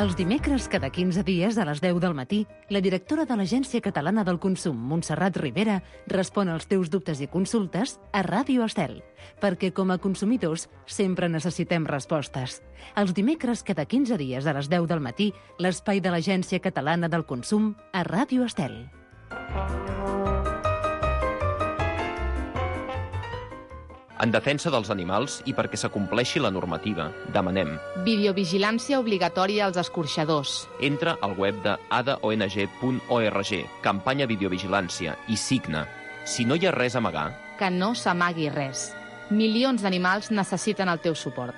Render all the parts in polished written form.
Els dimecres, cada 15 dies, a les 10 del matí, la directora de l'Agència Catalana del Consum, Montserrat Rivera, respon als teus dubtes i consultes a Ràdio Estel, perquè com a consumidors sempre necessitem respostes. Els dimecres, cada 15 dies, a les 10 del matí, l'espai de l'Agència Catalana del Consum a Ràdio Estel. En defensa dels animals i perquè s'acompleixi la normativa, demanem videovigilància obligatòria als escorxadors. entra al web de adaong.org, campanya videovigilància, i signa. Si no hi ha res a amagar, Que no s'amagui res. Milions d'animals necessiten el teu suport.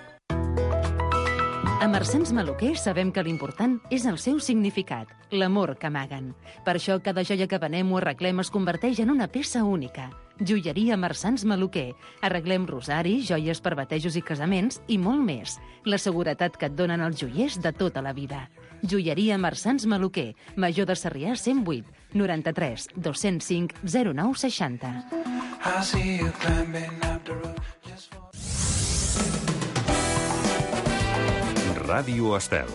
A Marsans Maluquer sabem que l'important és el seu significat, l'amor que amaguen. Per això cada joia que venem o arreglem es converteix en una peça única. Joieria Marsans Maluquer. Arreglem rosaris, joies per batejos i casaments i molt més. La seguretat que et donen els joiers de tota la vida. Joieria Marsans Maluquer. Major de Sarrià 108 93 205 09 60. Ràdio Estel.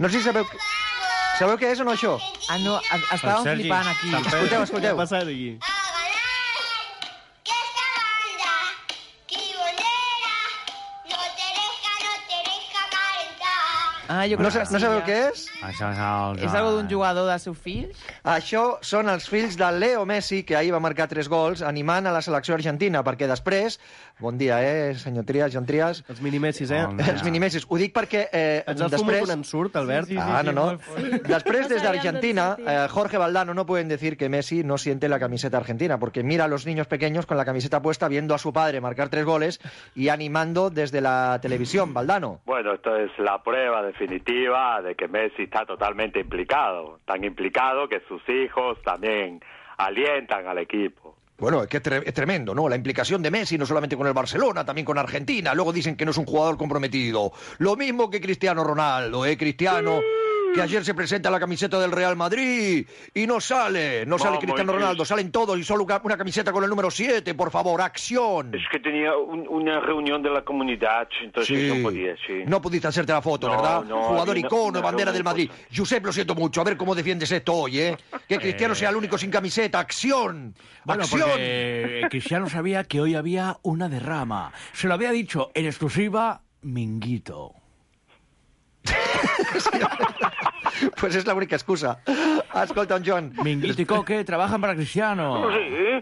No sé si sabeu què és o no, això? Ah, no, estàvem flipant aquí. Escolteu. Què ha passat aquí? Ah, jo crec que sí, No sabeu ja. què és? Això és el... És algo d'un jugador dels seus fills? Això són els fills de Leo Messi, que ahir va marcar 3 gols, animant a la selecció argentina, perquè després... Bon dia, senyor Trias, Joan Trias. Els minimessis, eh? Bon dia. Els minimessis. Ho dic perquè Ens el fumo quan en surt, Albert? No. Después, desde Argentina, Jorge Valdano no pueden decir que Messi no siente la camiseta argentina, porque mira a los niños pequeños con la camiseta puesta, viendo a su padre marcar 3 goles y animando desde la televisión. Valdano. Bueno, esto es la prueba definitiva de que Messi está totalmente implicado, tan implicado que sus hijos también alientan al equipo. Bueno, es que es tremendo, ¿no? La implicación de Messi, no solamente con el Barcelona, también con Argentina. Luego dicen que no es un jugador comprometido. Lo mismo que Cristiano Ronaldo, Cristiano, que ayer se presenta la camiseta del Real Madrid y no sale Cristiano Ronaldo, salen todos y solo una camiseta con el número 7, por favor, acción. Es que tenía una reunión de la comunidad, entonces no podía, sí. No pudiste hacerte la foto, No, ¿verdad? no, Jugador había icono, una bandera del reunión. Madrid. Josep, lo siento mucho, a ver cómo defiendes esto hoy, ¿eh? Que Cristiano sea el único sin camiseta, acción. Bueno, ¡Acción! porque Cristiano sabía que hoy había una derrama. Se lo había dicho en exclusiva Minguito. Pues es la única excusa. Escolta, Joan. Minguito y Coque trabajan para Cristiano. Sí,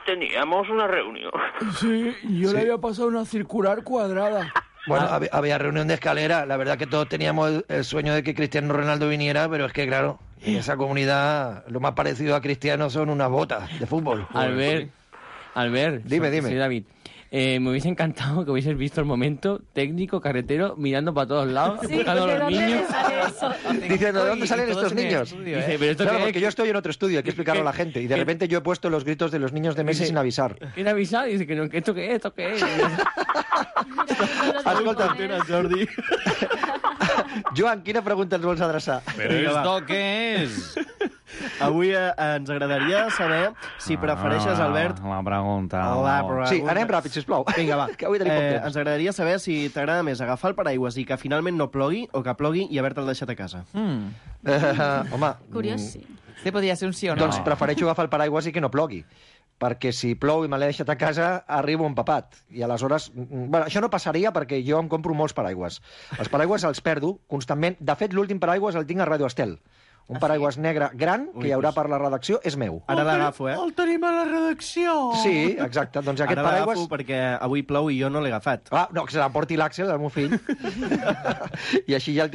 teníamos una reunión. Sí, yo le había pasado una circular cuadrada. Bueno, había reunión de escalera. La verdad que todos teníamos el sueño de que Cristiano Ronaldo viniera, pero es que, claro, en esa comunidad lo más parecido a Cristiano son unas botas de fútbol. Albert, Dime. Soy David. Me hubiese encantado que hubieses visto el momento técnico carretero mirando para todos lados, buscando a los niños. Diciendo, ¿de dónde salen estos niños? Dice, pero esto Claro, qué es? porque yo estoy en otro estudio, hay que explicarlo a la gente. Y de repente yo he puesto los gritos de los niños de Messi sin avisar. ¿Quién avisa? Dice que no, que esto qué es, esto qué es. Escolta, Jordi. Joan, quina pregunta ens vols adreçar? Però esto què és? Avui ens agradaria saber si prefereixes, Albert... La pregunta. Sí, anem ràpid, sisplau. Vinga, va. Que avui tenim poc temps. Ens agradaria saber si t'agrada més agafar el paraigües i que finalment no plogui o que plogui i haver-te'l deixat a casa. Home, Curiós, sí. Este podria ser un sí o no. doncs prefereixo agafar el paraigües i que no plogui. Perquè si plou i me l'he deixat a casa, arribo empapat. I aleshores... Bueno, això no passaria perquè jo em compro molts paraigües. Els paraigües els perdo constantment. De fet, l'últim paraigües el tinc a Ràdio Estel. Un paraigües negre gran que hi haurà per la redacció és meu. Ara l'agafo, El tenim a la redacció. Sí, exacte. Doncs aquest Ara l'agafo paraigües... perquè avui plou i jo no l'he agafat. Ah, no, que se l'emporti l'Àxel, el meu fill. I així ja el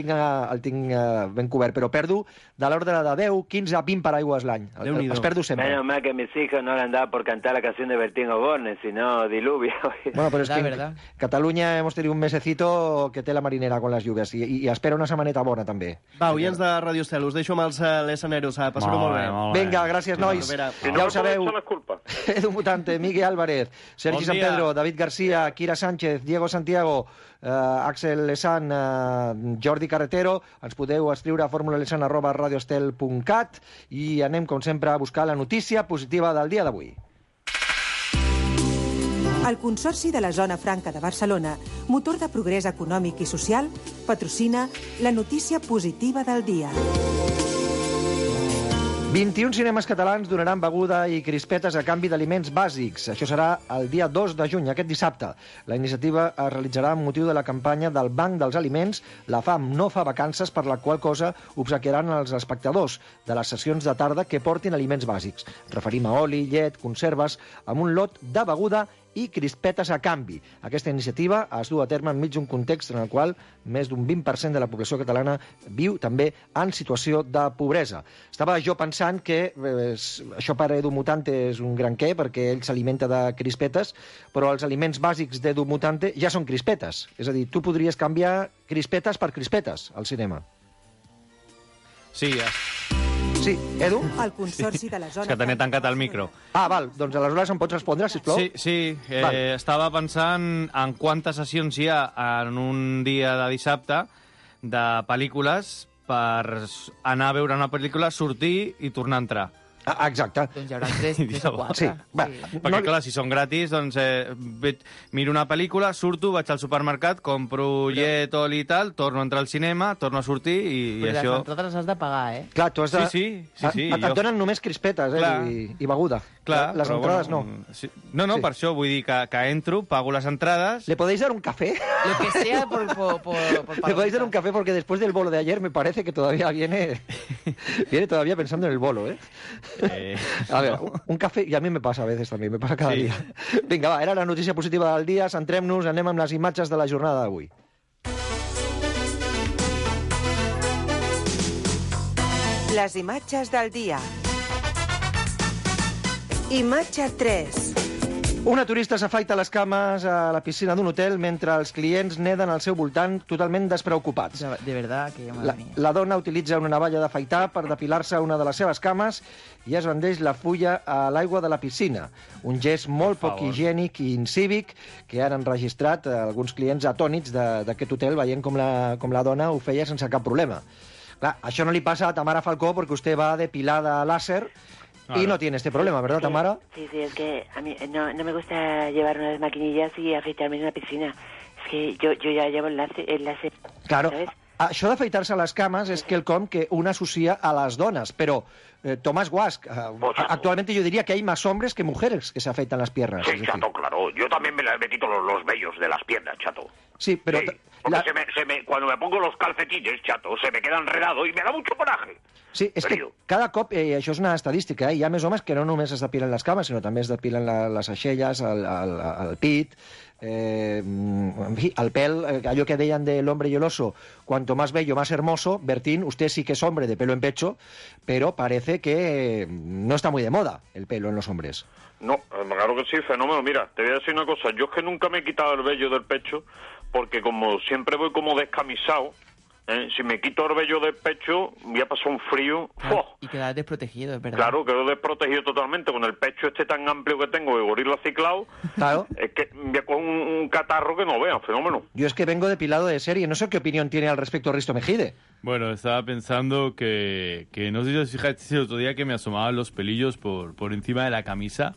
tinc ben cobert. Però perdo de l'ordre de 10, 15 a 20 paraigües l'any. Els perdo sempre. Menos mal que mis hijos no han andado por cantar la canción de Bertín Osborne, sino diluvio. Bueno, pero es que verdad. en Cataluña hemos tenido un mesecito que té la marinera con las lluvias y espera una setmaneta bona també. Va, oients de Ràdio Estel, us deixo amb els lesaneros, a passar-ho molt bé. Vinga, gràcies, nois. Ja ho sabeu. Edu Mutante, Miguel Álvarez, Sergi San Pedro, David García, Kira Sánchez, Diego Santiago, Axel Lesan, Jordi Carretero. Ens podeu escriure a formulalesan@radioestel.cat i anem, com sempre, a buscar la notícia positiva del dia d'avui. El Consorci de la Zona Franca de Barcelona, motor de progrés econòmic i social, patrocina la notícia positiva del dia. 21 cinemes catalans donaran beguda i crispetes a canvi d'aliments bàsics. Això serà el dia 2 de juny, aquest dissabte. La iniciativa es realitzarà amb motiu de la campanya del Banc dels Aliments La fam no fa vacances, per la qual cosa obsequiaran als espectadors de les sessions de tarda que portin aliments bàsics. Referim a oli, llet, conserves, amb un lot de beguda i crispetes a canvi. Aquesta iniciativa es du a terme enmig d'un context en el qual més d'un 20% de la població catalana viu també en situació de pobresa. Estava jo pensant que això per Edu Mutante és un gran què, perquè ell s'alimenta de crispetes, però els aliments bàsics d'Edu Mutante ja són crispetes. És a dir, tu podries canviar crispetes per crispetes al cinema. Sí, ja. Sí, Edu? El Consorci de la Zona... És que tenia tancat el micro. Ah, val, doncs aleshores em pots respondre, sisplau? Sí. Estava pensant en quantes sessions hi ha en un dia de dissabte de pel·lícules per anar a veure una pel·lícula, sortir i tornar a entrar. Ah, exacte. Doncs hi haurà 3 o 4. Sí. Perquè, clar, si són gratis, doncs miro una pel·lícula, surto, vaig al supermercat, compro llet, oli i tal, torno a entrar al cinema, torno a sortir i Però això... les entrades les has de pagar, eh? Clar, tu has de... Sí. Et donen només crispetes, i beguda. Clar, les entrades bueno, no. Sí. No, per això vull dir que entro, pago las entradas... ¿Le podéis dar un café? Lo que sea por ¿Le podéis dar un café? Porque después del bolo de ayer me parece que todavía viene todavía pensando en el bolo, ¿eh? A ver, un café, y a mí me pasa a veces también, me pasa cada dia. Vinga, va, era la notícia positiva del dia, centrem-nos, anem amb les imatges de la jornada d'avui. Les imatges del dia. Imatge 3. Una turista s'afaita les cames a la piscina d'un hotel mentre els clients neden al seu voltant totalment despreocupats. De verdad que madre mía. La dona utilitza una navalla d'afaitar per depilar-se una de les seves cames i es rendeix la fulla a l'aigua de la piscina. Un gest molt poc higiènic i incívic que han enregistrat alguns clients atònits d'aquest hotel veient com la dona ho feia sense cap problema. Clar, això no li passa a Tamara Falcó perquè vostè va depilada láser y no tiene este problema, ¿verdad, Tamara? Sí, es que a mí no me gusta llevar unas maquinillas y afeitarme en una piscina. Es que yo ya llevo el láser. Claro, ¿sabes? Això d'afaitar-se les cames és quelcom que un associa a les dones, però Tomás Guasch, actualmente yo diría que hay más hombres que mujeres que se afeitan las piernas. Sí, Chato, claro. Yo también me quito los vellos de las piernas, Chato. Sí, pero... Sí, porque cuando me pongo los calcetines, Chato, se me queda enredado y me da mucho coraje. Sí, és que cada cop, això és una estadística, hi ha més homes que no només es depilen les cames, sinó també es depilen les aixelles, el pit, en fi, el pèl, allò que deien de l'hombre y el oso, cuanto más bello, más hermoso. Bertín, usted sí que es hombre de pelo en pecho, pero parece que no está muy de moda el pelo en los hombres. No, claro que sí, fenómeno. Mira, te voy a decir una cosa, yo es que nunca me he quitado el vello del pecho, porque como siempre voy como descamisado, si me quito el vello del pecho, voy a pasar un frío. Claro, y quedas desprotegido, es verdad. Claro, quedo desprotegido totalmente. Con el pecho este tan amplio que tengo de gorila ciclado, claro. Es que voy a coger un catarro que no vean, fenómeno. Yo es que vengo depilado de serie, no sé qué opinión tiene al respecto Risto Mejide. Bueno, estaba pensando que no sé si os fijasteis el otro día que me asomaban los pelillos por encima de la camisa.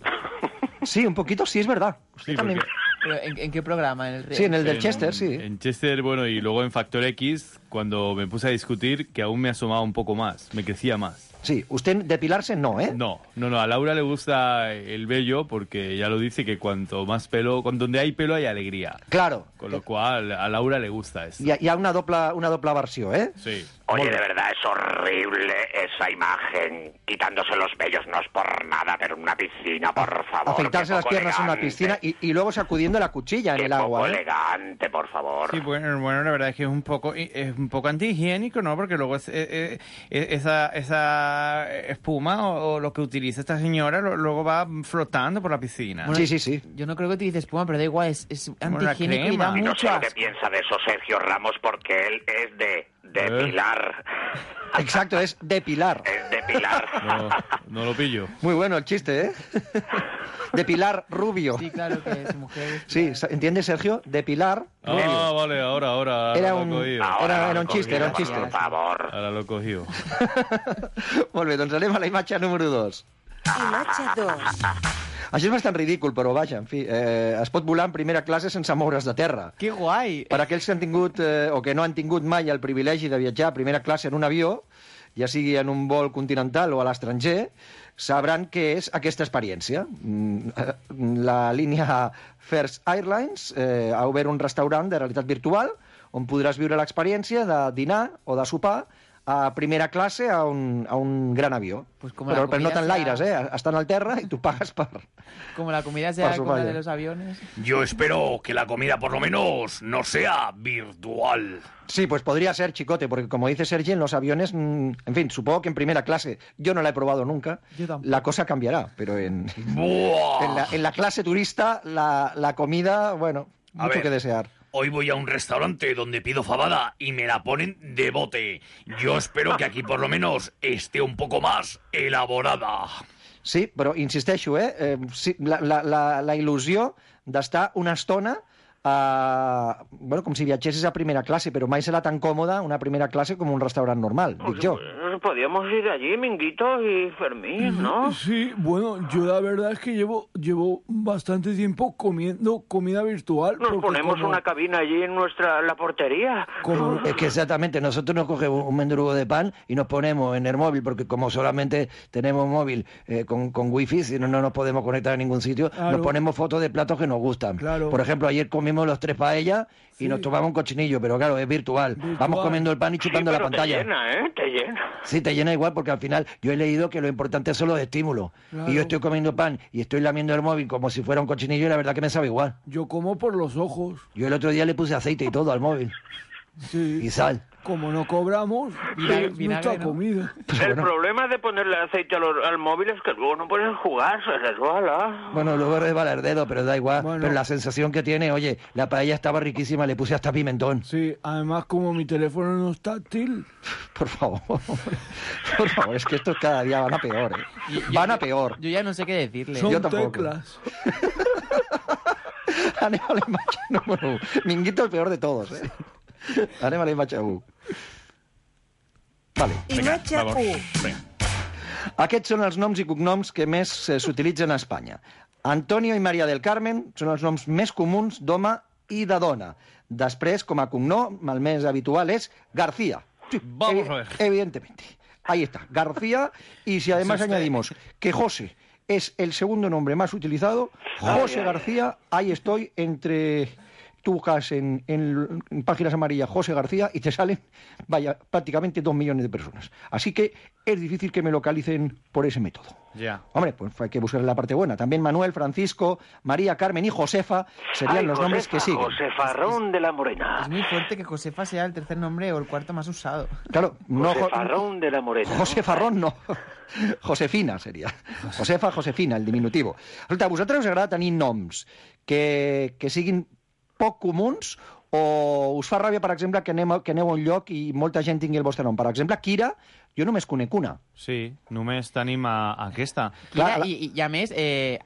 Sí, un poquito, sí, es verdad. Sí, también... ¿Pero en qué programa? Sí, en el del Chester, sí. En Chester, bueno, y luego en Factor X, cuando me puse a discutir, que aún me asomaba un poco más, me crecía más. Sí, usted depilarse no, ¿eh? No, a Laura le gusta el vello porque ya lo dice que cuanto más pelo, donde hay pelo hay alegría. Claro. Con lo cual a Laura le gusta eso. Hi ha una doble versió, ¿eh? Sí. Oye, de verdad es horrible esa imagen, quitándose los vellos, no es por nada, pero en una piscina, por favor. Afeitarse las piernas en una piscina y luego sacudiendo la cuchilla en el agua. Poco elegante, por favor. Sí, bueno, la verdad es que es un poco antihigiénico, ¿no? Porque luego esa espuma o lo que utiliza esta señora luego va flotando por la piscina. Bueno, sí. Yo no creo que utilice espuma, pero da igual, es Como la antihigiénico y da crema. Y no sé mucho lo que piensa de eso Sergio Ramos, porque él es de Depilar. Exacto, es depilar. Es depilar. No lo pillo. Muy bueno el chiste, ¿eh? Depilar rubio. Sí, claro que es mujer. Sí, ¿entiendes, Sergio? Depilar rubio. Vale, ahora Era lo he un- cogido. era un chiste, era un chiste. Por favor. Ara l'he cogido. Molt bé, doncs anem a la imatge número 2. Imatge 2. Això és bastant ridícul, però vaja, en fi, es pot volar en primera classe sense moure's de terra. Que guai! Per aquells que han tingut o que no han tingut mai el privilegi de viatjar a primera classe en un avió, ja sigui en un vol continental o a l'estranger, sabran què és aquesta experiència. La línia First Airlines ha obert un restaurant de realitat virtual on podràs viure l'experiència de dinar o de sopar a primera classe a un gran avió. Pues como la Però no comida tan sea- l'aires, Estan al terra i tu pagues per... Como la comida sea Paso, como la vaya. de los aviones. Yo espero que la comida por lo menos no sea virtual. Sí, pues podría ser, chicote, porque como dice Sergi, en los aviones, en fin, supongo que en primera clase, yo no la he probado nunca, Yo tampoco. la cosa cambiará, pero en ¡Buah! la clase turista, la comida, bueno, A mucho ver. que desear. Hoy voy a un restaurante donde pido fabada y me la ponen de bote. Yo espero que aquí por lo menos esté un poco más elaborada. Sí, però insisteixo, sí, la il·lusió d'estar una estona bueno, com si viatgessis a primera clase, però mai serà tan còmoda una primera clase com un restaurant normal, dic jo. Podríamos ir allí, Minguito y Fermín, ¿no? Sí, bueno, yo la verdad es que llevo bastante tiempo comiendo comida virtual. Nos porque ponemos como- una cabina allí en la portería. Es que exactamente, nosotros nos cogemos un mendrugo de pan y nos ponemos en el móvil, porque como solamente tenemos móvil con wifi, si no nos podemos conectar a ningún sitio, Claro. nos ponemos fotos de platos que nos gustan. Claro. Por ejemplo, ayer comimos los 3 paellas y Sí. nos tomamos un cochinillo, pero claro, es virtual. Vamos comiendo el pan y chupando la pero pantalla. te llena, ¿eh? Te llena. Sí, te llena igual, porque al final yo he leído que lo importante son los estímulos. Claro. Y yo estoy comiendo pan y estoy lamiendo el móvil como si fuera un cochinillo y la verdad que me sabe igual. Yo como por los ojos. Yo el otro día le puse aceite y todo al móvil. Sí. Y sal. Como no cobramos, Vinagre, nuestra ¿no? comida. El problema de ponerle aceite al móvil es que luego no puedes jugar, se resbala. Bueno, luego resbala el dedo, pero da igual. Bueno. Pero la sensación que tiene, oye, la paella estaba riquísima, le puse hasta pimentón. Sí, además como mi teléfono no es táctil. Por favor, por favor, es que estos cada día van a peor, ¿eh? Van a peor. Yo ya no sé qué decirle. Son Yo tampoco. teclas. Anem a la imatge número 1. Minguito el peor de todos, ¿eh? Anem a la imatge 1. Vale. Imatge 1. Aquests són els noms i cognoms que més s'utilitzen a Espanya. Antonio i María del Carmen són els noms més comuns d'home i de dona. Després, com a cognom, el més habitual és García. Sí, Vamos a ver. Evidentemente. Ahí está, García. Y si además añadimos que José es el segundo nombre más utilizado, José García, ahí estoy entre... Tú buscas en páginas amarillas José García y te salen, vaya, prácticamente 2 millones de personas. Así que es difícil que me localicen por ese método. Ya. Hombre, pues hay que buscar la parte buena. También Manuel, Francisco, María, Carmen y Josefa serían Ay, los nombres Josefa, que siguen. Josefarrón de la Morena. Es muy fuerte que Josefa sea el tercer nombre o el cuarto más usado. Claro, no Josefarrón de la Morena. Josefarrón no. Josefina seria. Josefa, Josefina, el diminutiu. Escolta, a vosaltres us agrada tenir noms que siguin poc comuns o us fa ràbia, per exemple, que aneu a un lloc i molta gent tingui el vostre nom? Per exemple, Kira, jo només conec una. Sí, només tenim aquesta. Kira, i a més,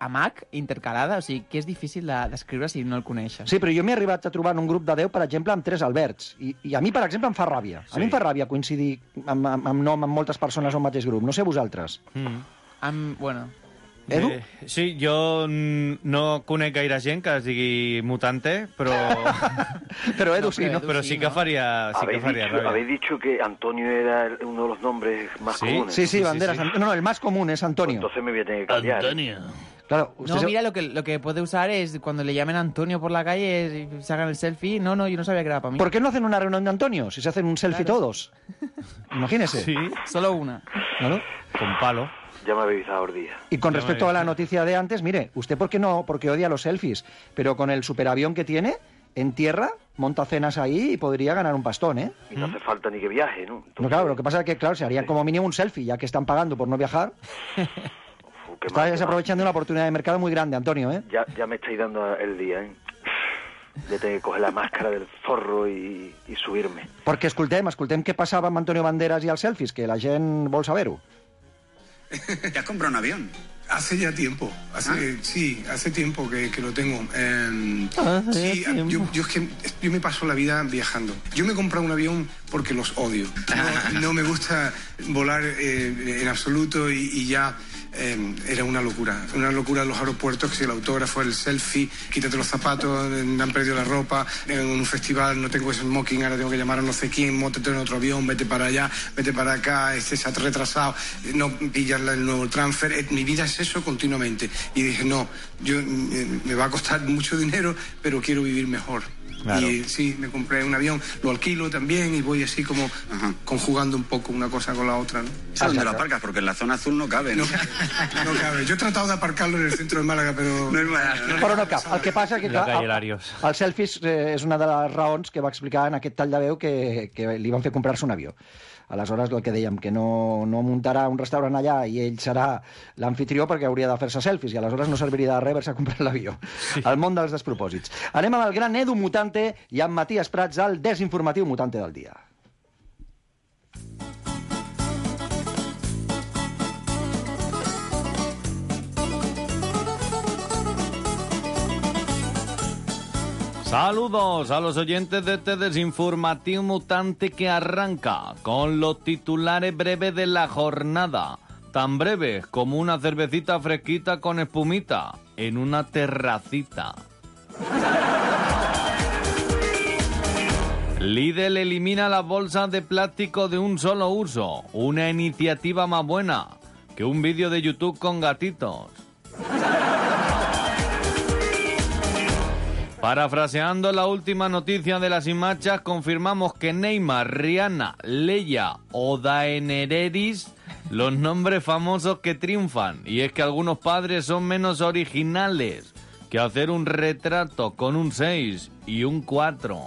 Amac, intercalada, o sigui, que és difícil d'escriure si no el coneixes. Sí, però jo m'he arribat a trobar en un grup de 10, per exemple, amb 3 Alberts. I a mi, per exemple, em fa ràbia. A mi em fa ràbia coincidir amb nom amb moltes persones en un mateix grup. No sé vosaltres. Bueno... Edu? Sí, jo no conec gaire gent que es digui Mutante, però... Pero Edu sí, ¿no? Pero sí que faria rabia. Habéis dicho que Antonio era uno de los nombres más comunes. Sí, Banderas. sí. No, el más común es Antonio. Entonces me voy a tener que cambiar. Claro, No, mira, lo que puede usar es cuando le llamen Antonio por la calle y se hagan el selfie. No, yo no sabía que era para mí. ¿Por qué no hacen una reunión de Antonio? Si se hacen un selfie todos. Imagínese. Sí. Solo una. Claro. Con palo. Ya me habéis dado día. Y con respecto a la noticia de antes, mire, ¿usted por qué no? Porque odia los selfies. Pero con el superavión que tiene, en tierra, monta cenas ahí y podría ganar un pastón, ¿eh? Y no hace falta ni que viaje, ¿no? No, claro, lo que pasa es que, claro, se harían como mínimo un selfie, ya que están pagando por no viajar. Está desaprovechando una oportunidad de mercado muy grande, Antonio, ¿eh? Ya me estáis dando el día, ¿eh? de tener que coger la máscara del zorro y subirme. Perquè escoltem què passava amb Antonio Banderas i els selfies, que la gent vol saber-ho. ¿Te has comprado un avión? Hace ya tiempo, hace tiempo que lo tengo. Yo es que yo me paso la vida viajando. Yo me he comprado un avión porque los odio. No me gusta volar en absoluto y ya era una locura en los aeropuertos, que si el autógrafo, el selfie, quítate los zapatos, me han perdido la ropa, en un festival no tengo ese smoking, ahora tengo que llamar a no sé quién, móntate en otro avión, vete para allá, vete para acá, se ha retrasado, no pillas el nuevo transfer, mi vida es eso continuamente. Y dije, no, me va a costar mucho dinero, pero quiero vivir mejor. Claro. Y sí, me compré un avión, lo alquilo también y voy así como conjugando un poco una cosa con la otra, ¿no? ¿Dónde lo aparcas? Porque en la zona azul no cabe, ¿no? No cabe. Yo he tratado de aparcarlo en el centro de Málaga, però... Però no cap. El que passa que el selfies és una de les raons que va explicar en aquest tall de veu que li van fer comprar-se un avió. Aleshores, el que dèiem, que no muntarà un restaurant allà i ell serà l'anfitrió perquè hauria de fer-se selfies i aleshores no serviria de res haver-se comprat l'avió. Sí. El món dels despropòsits. Anem amb el gran Edu Mutante i amb Matías Prats al desinformatiu mutante del dia. Saludos a los oyentes de este desinformativo mutante que arranca con los titulares breves de la jornada. Tan breves como una cervecita fresquita con espumita en una terracita. Lidl elimina las bolsas de plástico de un solo uso. Una iniciativa más buena que un vídeo de YouTube con gatitos. Parafraseando la última noticia de las Imachas, confirmamos que Neymar, Rihanna, Leia o Daenerys, los nombres famosos que triunfan. Y es que algunos padres son menos originales que hacer un retrato con un 6 y un 4.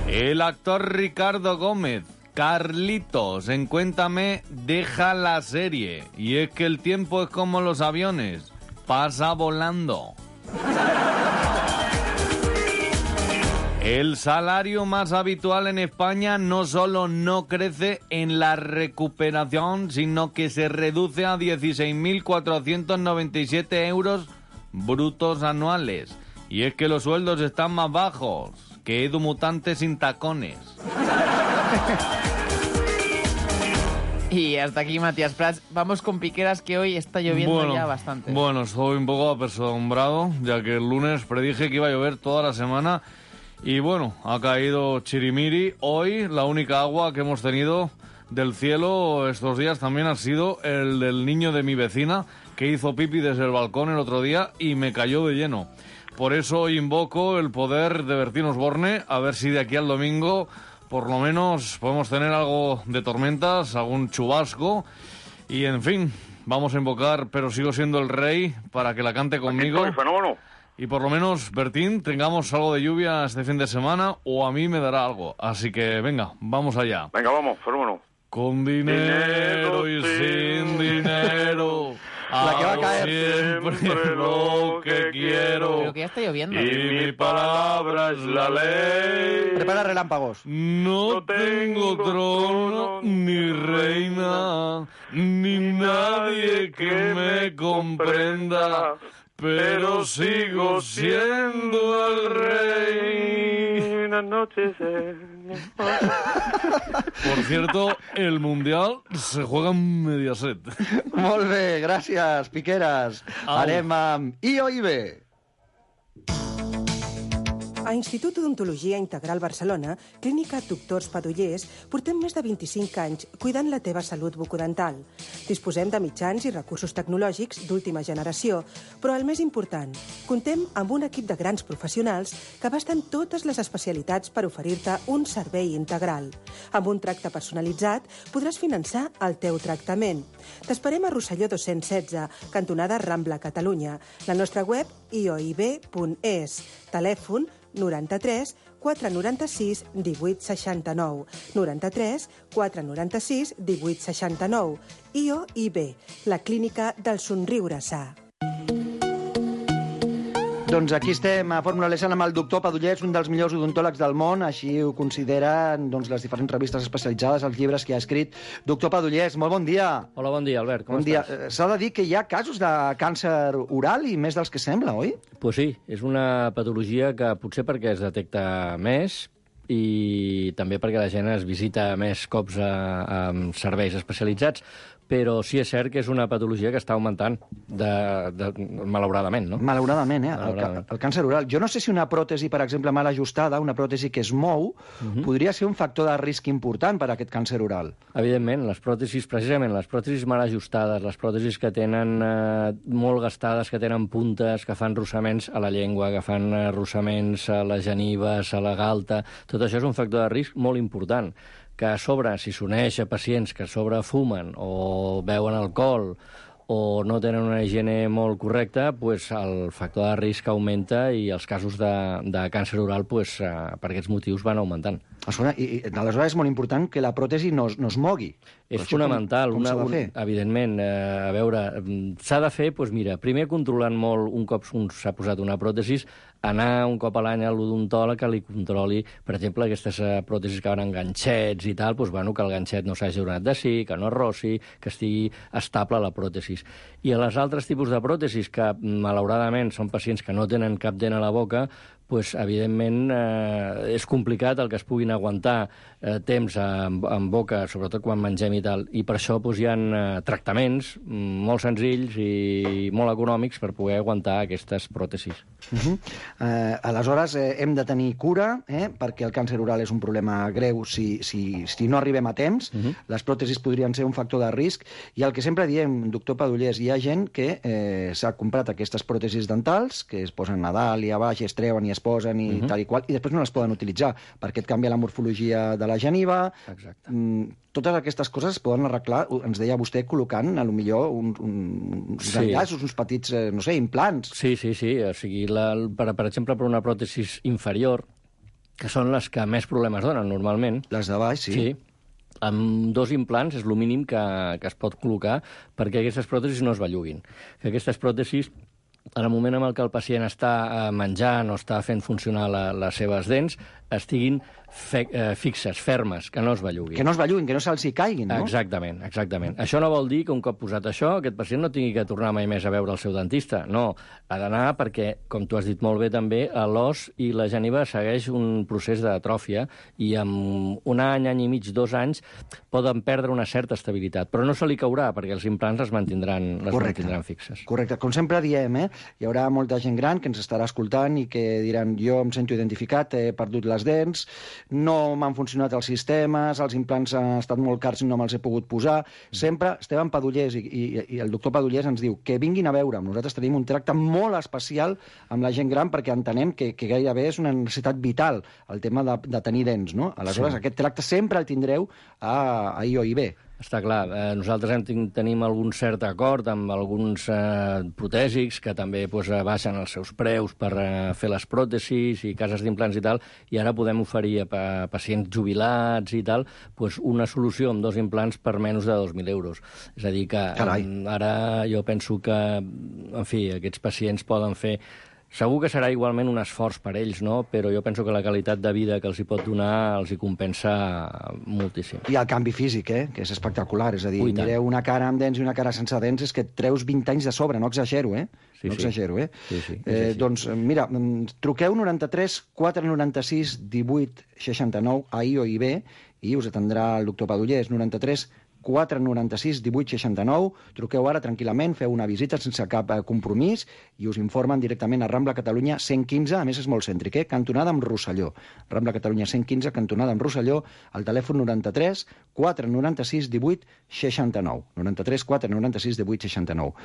El actor Ricardo Gómez, Carlitos, en Cuéntame, deja la serie. Y es que el tiempo es como los aviones. Pasa volando. El salario más habitual en España no solo no crece en la recuperación, sino que se reduce a 16.497 euros brutos anuales. Y es que los sueldos están más bajos que Edu Mutante sin tacones. Y hasta aquí Matías Prats. Vamos con Piqueras, que hoy está lloviendo ya bastante. Bueno, estoy un poco apesadumbrado, ya que el lunes predije que iba a llover toda la semana. Y bueno, ha caído chirimiri. Hoy la única agua que hemos tenido del cielo estos días también ha sido el del niño de mi vecina, que hizo pipi desde el balcón el otro día y me cayó de lleno. Por eso invoco el poder de Bertín Osborne, a ver si de aquí al domingo por lo menos podemos tener algo de tormentas, algún chubasco. Y en fin, vamos a invocar Pero sigo siendo el rey para que la cante conmigo. Y por lo menos, Bertín, tengamos algo de lluvia este fin de semana o a mí me dará algo. Así que venga, vamos allá. Venga, vamos, fenómeno. Con dinero y sin dinero. La que va a caer. Siempre lo que quiero. Pero que ya está lloviendo. Y mi palabra es la ley. Prepara relámpagos. No tengo trono, ni reina, ni nadie que me comprenda, pero sigo siendo el rey. Buenas noches. Por cierto, el Mundial se juega en Mediaset. Molt bé, gràcies, Piqueras. Anem amb IOIB. A Institut d'Odontologia Integral Barcelona, Clínica Doctors Padollers, portem més de 25 anys cuidant la teva salut bucodental. Disposem de mitjans i recursos tecnològics d'última generació, però el més important, comptem amb un equip de grans professionals que abasten totes les especialitats per oferir-te un servei integral. Amb un tracte personalitzat podràs finançar el teu tractament. T'esperem a Rosselló 216, cantonada Rambla, Catalunya. La nostra web ioib.es. Telèfon 93 496 1869. 93 496 1869. IOIB, la clínica del somriure sa. Doncs aquí estem a Fórmula Lesan amb el doctor Padullés, un dels millors odontòlegs del món, així ho consideren les diferents revistes especialitzades, els llibres que ha escrit. Doctor Padullés, molt bon dia. Hola, bon dia, Albert, com estàs? S'ha de dir que hi ha casos de càncer oral i més dels que sembla, oi? Pues sí, és una patologia que potser perquè es detecta més i també perquè la gent es visita més cops a serveis especialitzats, però sí és cert que és una patologia que està augmentant, malauradament, no? Malauradament, el càncer oral. Jo no sé si una pròtesi, per exemple, mal ajustada, una pròtesi que es mou, podria ser un factor de risc important per a aquest càncer oral. Evidentment, les pròtesis, precisament, les pròtesis mal ajustades, les pròtesis que tenen molt gastades, que tenen puntes, que fan rossaments a la llengua, que fan rossaments a les genives, a la galta, tot això és un factor de risc molt important, que a sobre, si s'uneix a pacients que a sobre fumen o beuen alcohol o no tenen una higiene molt correcta, pues el factor de risc augmenta i els casos de càncer oral pues, per aquests motius van augmentant. I aleshores és molt important que la pròtesi no es mogui. És fonamental. Com s'ha de fer? Evidentment, a veure, s'ha de fer, doncs mira, primer controlant molt, un cop s'ha posat una pròtesi, anar un cop a l'any a l'odontòleg que li controli, per exemple, aquestes pròtesis que van amb ganxets i tal, doncs, bueno, que el ganxet no s'hagi donat de sí, que no es rossi, que estigui estable la pròtesi. I a les altres tipus de pròtesis que, malauradament, són pacients que no tenen cap dent a la boca, pues, evidentment, és complicat el que es puguin aguantar temps en boca, sobretot quan mengem i tal. I per això pues, hi ha tractaments molt senzills i molt econòmics per poder aguantar aquestes pròtesis. Aleshores, hem de tenir cura, perquè el càncer oral és un problema greu si no arribem a temps. Les pròtesis podrien ser un factor de risc. I el que sempre diem, doctor Padullés, hi ha gent que s'ha comprat aquestes pròtesis dentals, que es posen a dalt i a baix, es treuen i es posen i tal i qual, i després no les poden utilitzar, perquè et canvia la morfologia de la geniva. Exacte. Totes aquestes coses es poden arreglar, ens deia vostè, col·locant, potser uns enllaços, uns petits, no sé, implants. Sí. O sigui, per exemple, per una pròtesi inferior, que són les que més problemes donen normalment. Les de baix, sí. Amb 2 implants és el mínim que es pot col·locar perquè aquestes pròtesis no es belluguin. Que aquestes pròtesis, en el moment en el que el pacient està menjant o està fent funcionar les seves dents, estiguin fixes, fermes, que no es belluguin. Que no es belluguin, que no se'ls hi caiguin, no? Exactament. Això no vol dir que un cop posat això, aquest pacient no tingui que tornar mai més a veure el seu dentista. No, ha d'anar perquè, com tu has dit molt bé també, l'os i la geniva segueix un procés d'atròfia i en un any i mig, 2 anys, poden perdre una certa estabilitat, però no se li caurà perquè els implants les mantindran fixes. Correcte. Com sempre diem, hi haurà molta gent gran que ens estarà escoltant i que diran jo em sento identificat, he perdut les dents, no m'han funcionat els sistemes, els implants han estat molt cars i no me'ls he pogut posar. Sempre Esteban Padullés i el doctor Padullés ens diu que vinguin a veure'm. Nosaltres tenim un tracte molt especial amb la gent gran perquè entenem que gairebé és una necessitat vital el tema de tenir dents, no? Aleshores, aquest tracte sempre el tindreu a IOIB. Està clar. Nosaltres tenim algun cert acord amb alguns protèsics que també baixen els seus preus per fer les pròtesis i cases d'implants i tal, i ara podem oferir a pacients jubilats i tal una solució amb 2 implants per menys de 2.000 euros. És a dir que ara jo penso que, en fi, aquests pacients poden fer... Segur que serà igualment un esforç per ells, no? Però jo penso que la qualitat de vida que els hi pot donar els hi compensa moltíssim. I el canvi físic, que és espectacular. És a dir, mireu una cara amb dents i una cara sense dents, és que et treus 20 anys de sobre, no exagero, No exagero, Doncs, mira, truqueu 93 496 18 69 a IOIB i us atendrà el doctor Padullés, 93 496 18 69. Truqueu ara tranquil·lament, feu una visita sense cap compromís i us informen directament a Rambla Catalunya 115, a més és molt cèntric, cantonada amb Rosselló. Rambla Catalunya 115, cantonada amb Rosselló, al telèfon 93 496 18 69. 93 496 18 69.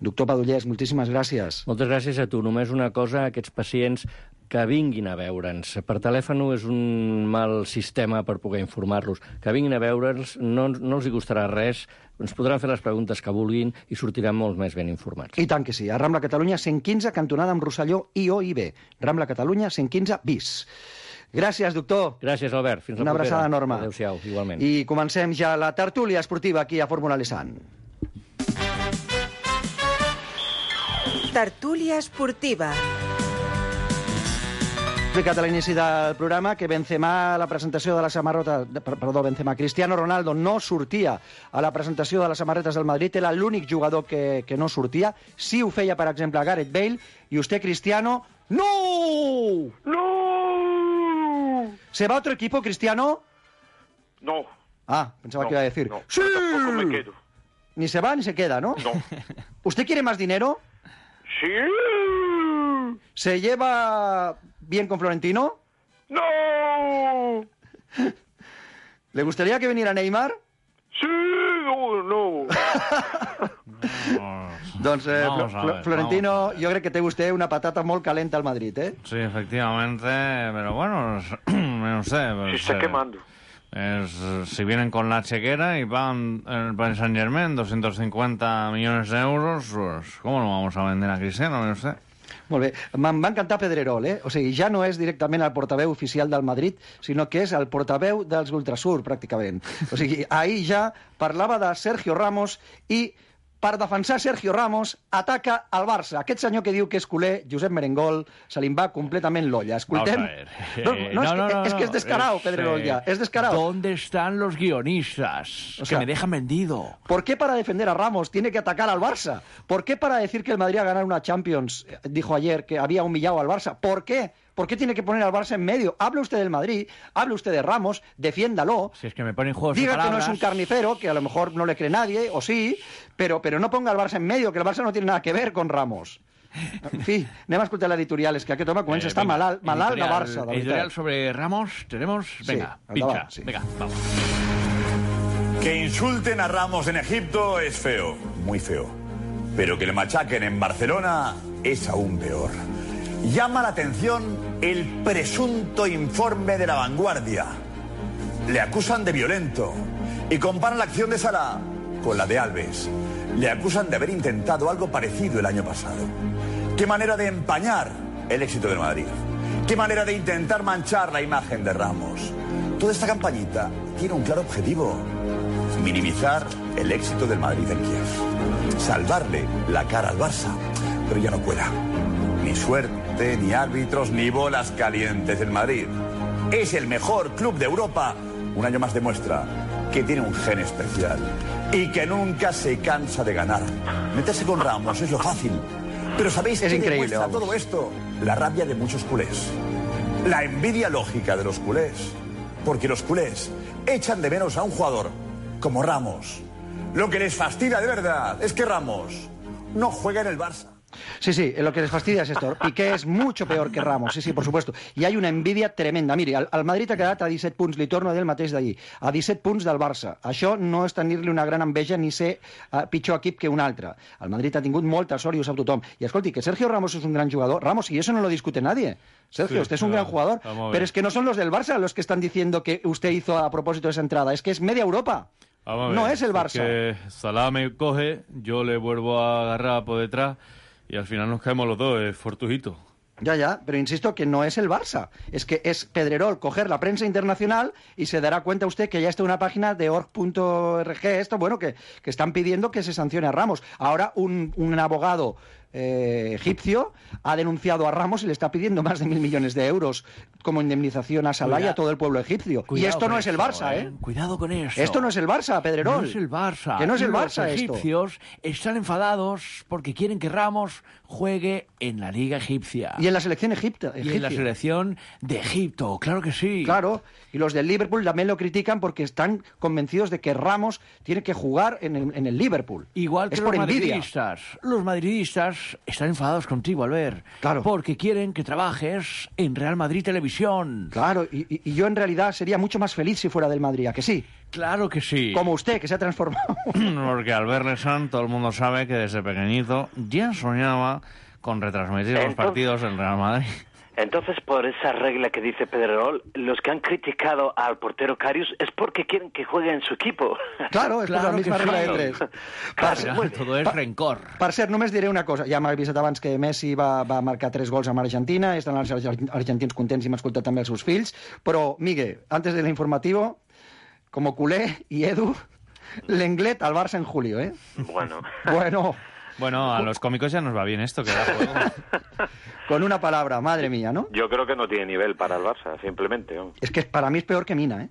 Doctor Padullés, moltíssimes gràcies. Moltes gràcies a tu. Només una cosa, aquests pacients que vinguin a veure'ns. Per telèfon és un mal sistema per poder informar-los. Que vinguin a veure'ns, no els hi costarà res, ens podran fer les preguntes que vulguin i sortiran molt més ben informats. I tant que sí. A Rambla Catalunya 115, cantonada amb Rosselló, IOIB. Rambla Catalunya 115 bis. Gràcies, doctor. Gràcies, Albert. Fins la propera. Una abraçada enorme. Adéu-siau, igualment. I comencem ja la tertúlia esportiva aquí a Fórmula Lesan. Tertúlia esportiva. explicat a l'inici del programa que Benzema, a la presentació de la samarreta... Benzema, Cristiano Ronaldo no sortia a la presentació de les samarretes del Madrid, era l'únic jugador que no sortia. Sí ho feia, per exemple, Gareth Bale, i usted, Cristiano, ¡no! ¡No! ¿Se va a otro equipo, Cristiano? No. Ah, pensaba que iba a decir. No, ¡sí! tampoco me quedo. Ni se va ni se queda, ¿no? No. ¿Usted quiere más dinero? Sí. ¿Se lleva bien con Florentino? No. ¿Le gustaría que viniera Neymar? Sí, no. Doncs, Florentino, yo creo que te guste una patata muy calenta al Madrid, ¿eh? Sí, efectivamente, pero bueno, no sé. Se está quemando. Si vienen con la chequera y pagan el Paris Saint-Germain 250 millones de euros, pues ¿cómo lo vamos a vender a Cristiano? No sé. Molt bé. M'ha encantat Pedrerol, eh? O sigui, ja no és directament el portaveu oficial del Madrid, sinó que és el portaveu dels Ultrasur, pràcticament. O sigui, ahir ja parlava de Sergio Ramos i, per defensar Sergio Ramos, ataca al Barça. Aquest senyor que diu que és culer, Josep Merengol, se li va completament l'olla. Escoltem... Es que es descarado, Pedrerol, ya. Es descarado. ¿Dónde están los guionistas? O sea, que me dejan vendido. ¿Por qué para defender a Ramos tiene que atacar al Barça? ¿Por qué para decir que el Madrid ha ganado una Champions, dijo ayer, que había humillado al Barça? ¿Por qué? ¿Por qué tiene que poner al Barça en medio? Hable usted del Madrid, hable usted de Ramos, defiéndalo. Si es que me ponen juegos de Diga palabras. que no es un carnicero, que a lo mejor no le cree nadie, o sí, pero no ponga al Barça en medio, que el Barça no tiene nada que ver con Ramos. En fi, anem a escoltar l'editorial, és que aquest home comença a estar malalt de Barça. De editorial sobre Ramos, tenemos... Venga, sí, pincha. Sí. Venga, vamos. Que insulten a Ramos en Egipto es feo, muy feo. Pero que le machaquen en Barcelona es aún peor. Llama la atención el presunto informe de La Vanguardia. Le acusan de violento y comparan la acción de Salah con la de Alves. Le acusan de haber intentado algo parecido el año pasado. Qué manera de empañar el éxito del Madrid. Qué manera de intentar manchar la imagen de Ramos. Toda esta campañita tiene un claro objetivo: minimizar el éxito del Madrid en Kiev. Salvarle la cara al Barça. Pero ya no cuela. Ni suerte, ni árbitros, ni bolas calientes en Madrid. Es el mejor club de Europa. Un año más demuestra que tiene un gen especial y que nunca se cansa de ganar. Meterse con Ramos es lo fácil. Pero ¿sabéis qué demuestra todo esto? La rabia de muchos culés. La envidia lógica de los culés. Porque los culés echan de menos a un jugador como Ramos. Lo que les fastidia de verdad es que Ramos no juega en el Barça. Sí, lo que les fastidia es esto. Piqué es mucho peor que Ramos, sí, por supuesto. I hi ha una envidia tremenda. Miri, el Madrid ha quedat a 17 punts, li torno a dir el mateix d'ahir, a 17 punts del Barça. Això no és tenir-li una gran enveja ni ser pitjor equip que un altre. El Madrid ha tingut molta sort i ho sap tothom. I escolti, que Sergio Ramos és un gran jugador. Ramos, y eso no lo discute nadie. Sergio, usted es un gran jugador. Pero es que no son los del Barça los que están diciendo que usted hizo a propósito de esa entrada. Es que es media Europa. No es el Barça. Que Salah me coge, yo le vuelvo a agarrar por detrás y al final nos caemos los dos, es fortujito. Ya, pero insisto que no es el Barça. Es que es Pedrerol coger la prensa internacional y se dará cuenta usted que ya está una página de org.org, que están pidiendo que se sancione a Ramos. Ahora un abogado egipcio ha denunciado a Ramos y le está pidiendo más de 1.000 millones de euros como indemnización a Salah y a todo el pueblo egipcio. Y esto no es el Barça, ¿eh? Cuidado con eso. Esto no es el Barça, Pedrerol. No es el Barça. Que no es el Barça esto. Los egipcios esto. están enfadados porque quieren que Ramos juegue en la Liga Egipcia. Y en la selección egipcia. Y en la selección de Egipto, claro que sí. Claro, y los del Liverpool también lo critican porque están convencidos de que Ramos tiene que jugar en el Liverpool. Igual que es los por madridistas. Los madridistas están enfadados contigo, Albert. Claro. Porque quieren que trabajes en Real Madrid Televisión. Claro, y yo en realidad sería mucho más feliz si fuera del Madrid, ¿a que sí? Claro que sí. Como usted, que se ha transformado. Porque Albert Lesan, todo el mundo sabe que desde pequeñito ya soñaba con retransmitir los partidos en Real Madrid. Entonces, por esa regla que dice Pedrerol, los que han criticado al portero Karius es porque quieren que juegue en su equipo. Claro, és per la misma regla de tres. Todo és rencor. Per cert, només diré una cosa. Ja m'ha avisat abans que Messi va marcar 3 gols amb Argentina, estan els argentins contents i m'ha escoltat també els seus fills, però, Miguel, antes del informativo, como culé y Edu, Lenglet al Barça en julio, ¿eh? Bueno. Bueno, a los cómicos ya nos va bien esto, que da juego. Con una palabra, madre mía, ¿no? Yo creo que no tiene nivel para el Barça, simplemente. ¿no? Es que para mí es peor que Mina, ¿eh?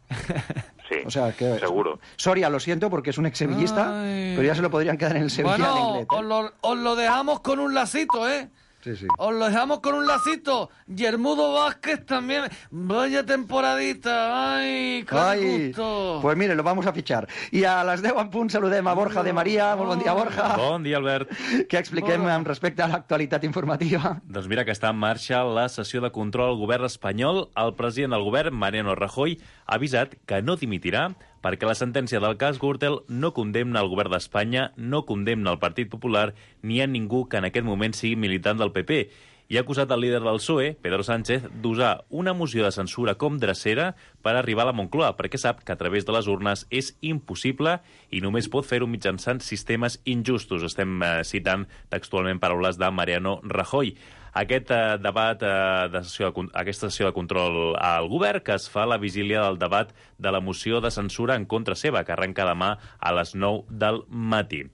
Sí, o sea, que, seguro. Soria, lo siento porque es un exsevillista, pero ya se lo podrían quedar en el Sevilla bueno, de inglés. os lo dejamos con un lacito, ¿eh? Sí, sí. Os lo dejamos con un lacito. Yermudo Vázquez también. Vaya temporadita. Ai, que gusto. Pues mire, lo vamos a fichar. I a les 10 en punt saludem a Borja de Maria. Molt bon dia, Borja. Bon dia, Albert. Què expliquem amb respecte a l'actualitat informativa? Doncs mira que està en marxa la sessió de control al govern espanyol. El president del govern, Mariano Rajoy, ha avisat que no dimitirà perquè la sentència del cas Gürtel no condemna el govern d'Espanya, no condemna el Partit Popular ni a ningú que en aquest moment sigui militant del PP. I ha acusat el líder del PSOE, Pedro Sánchez, d'usar una moció de censura com drecera per arribar a la Moncloa, perquè sap que a través de les urnes és impossible i només pot fer-ho mitjançant sistemes injustos. Estem citant textualment paraules de Mariano Rajoy. Aquest debat, aquesta sessió de control al govern, que es fa a la vigília del debat de la moció de censura en contra seva, que arrenca demà a les 9 del matí.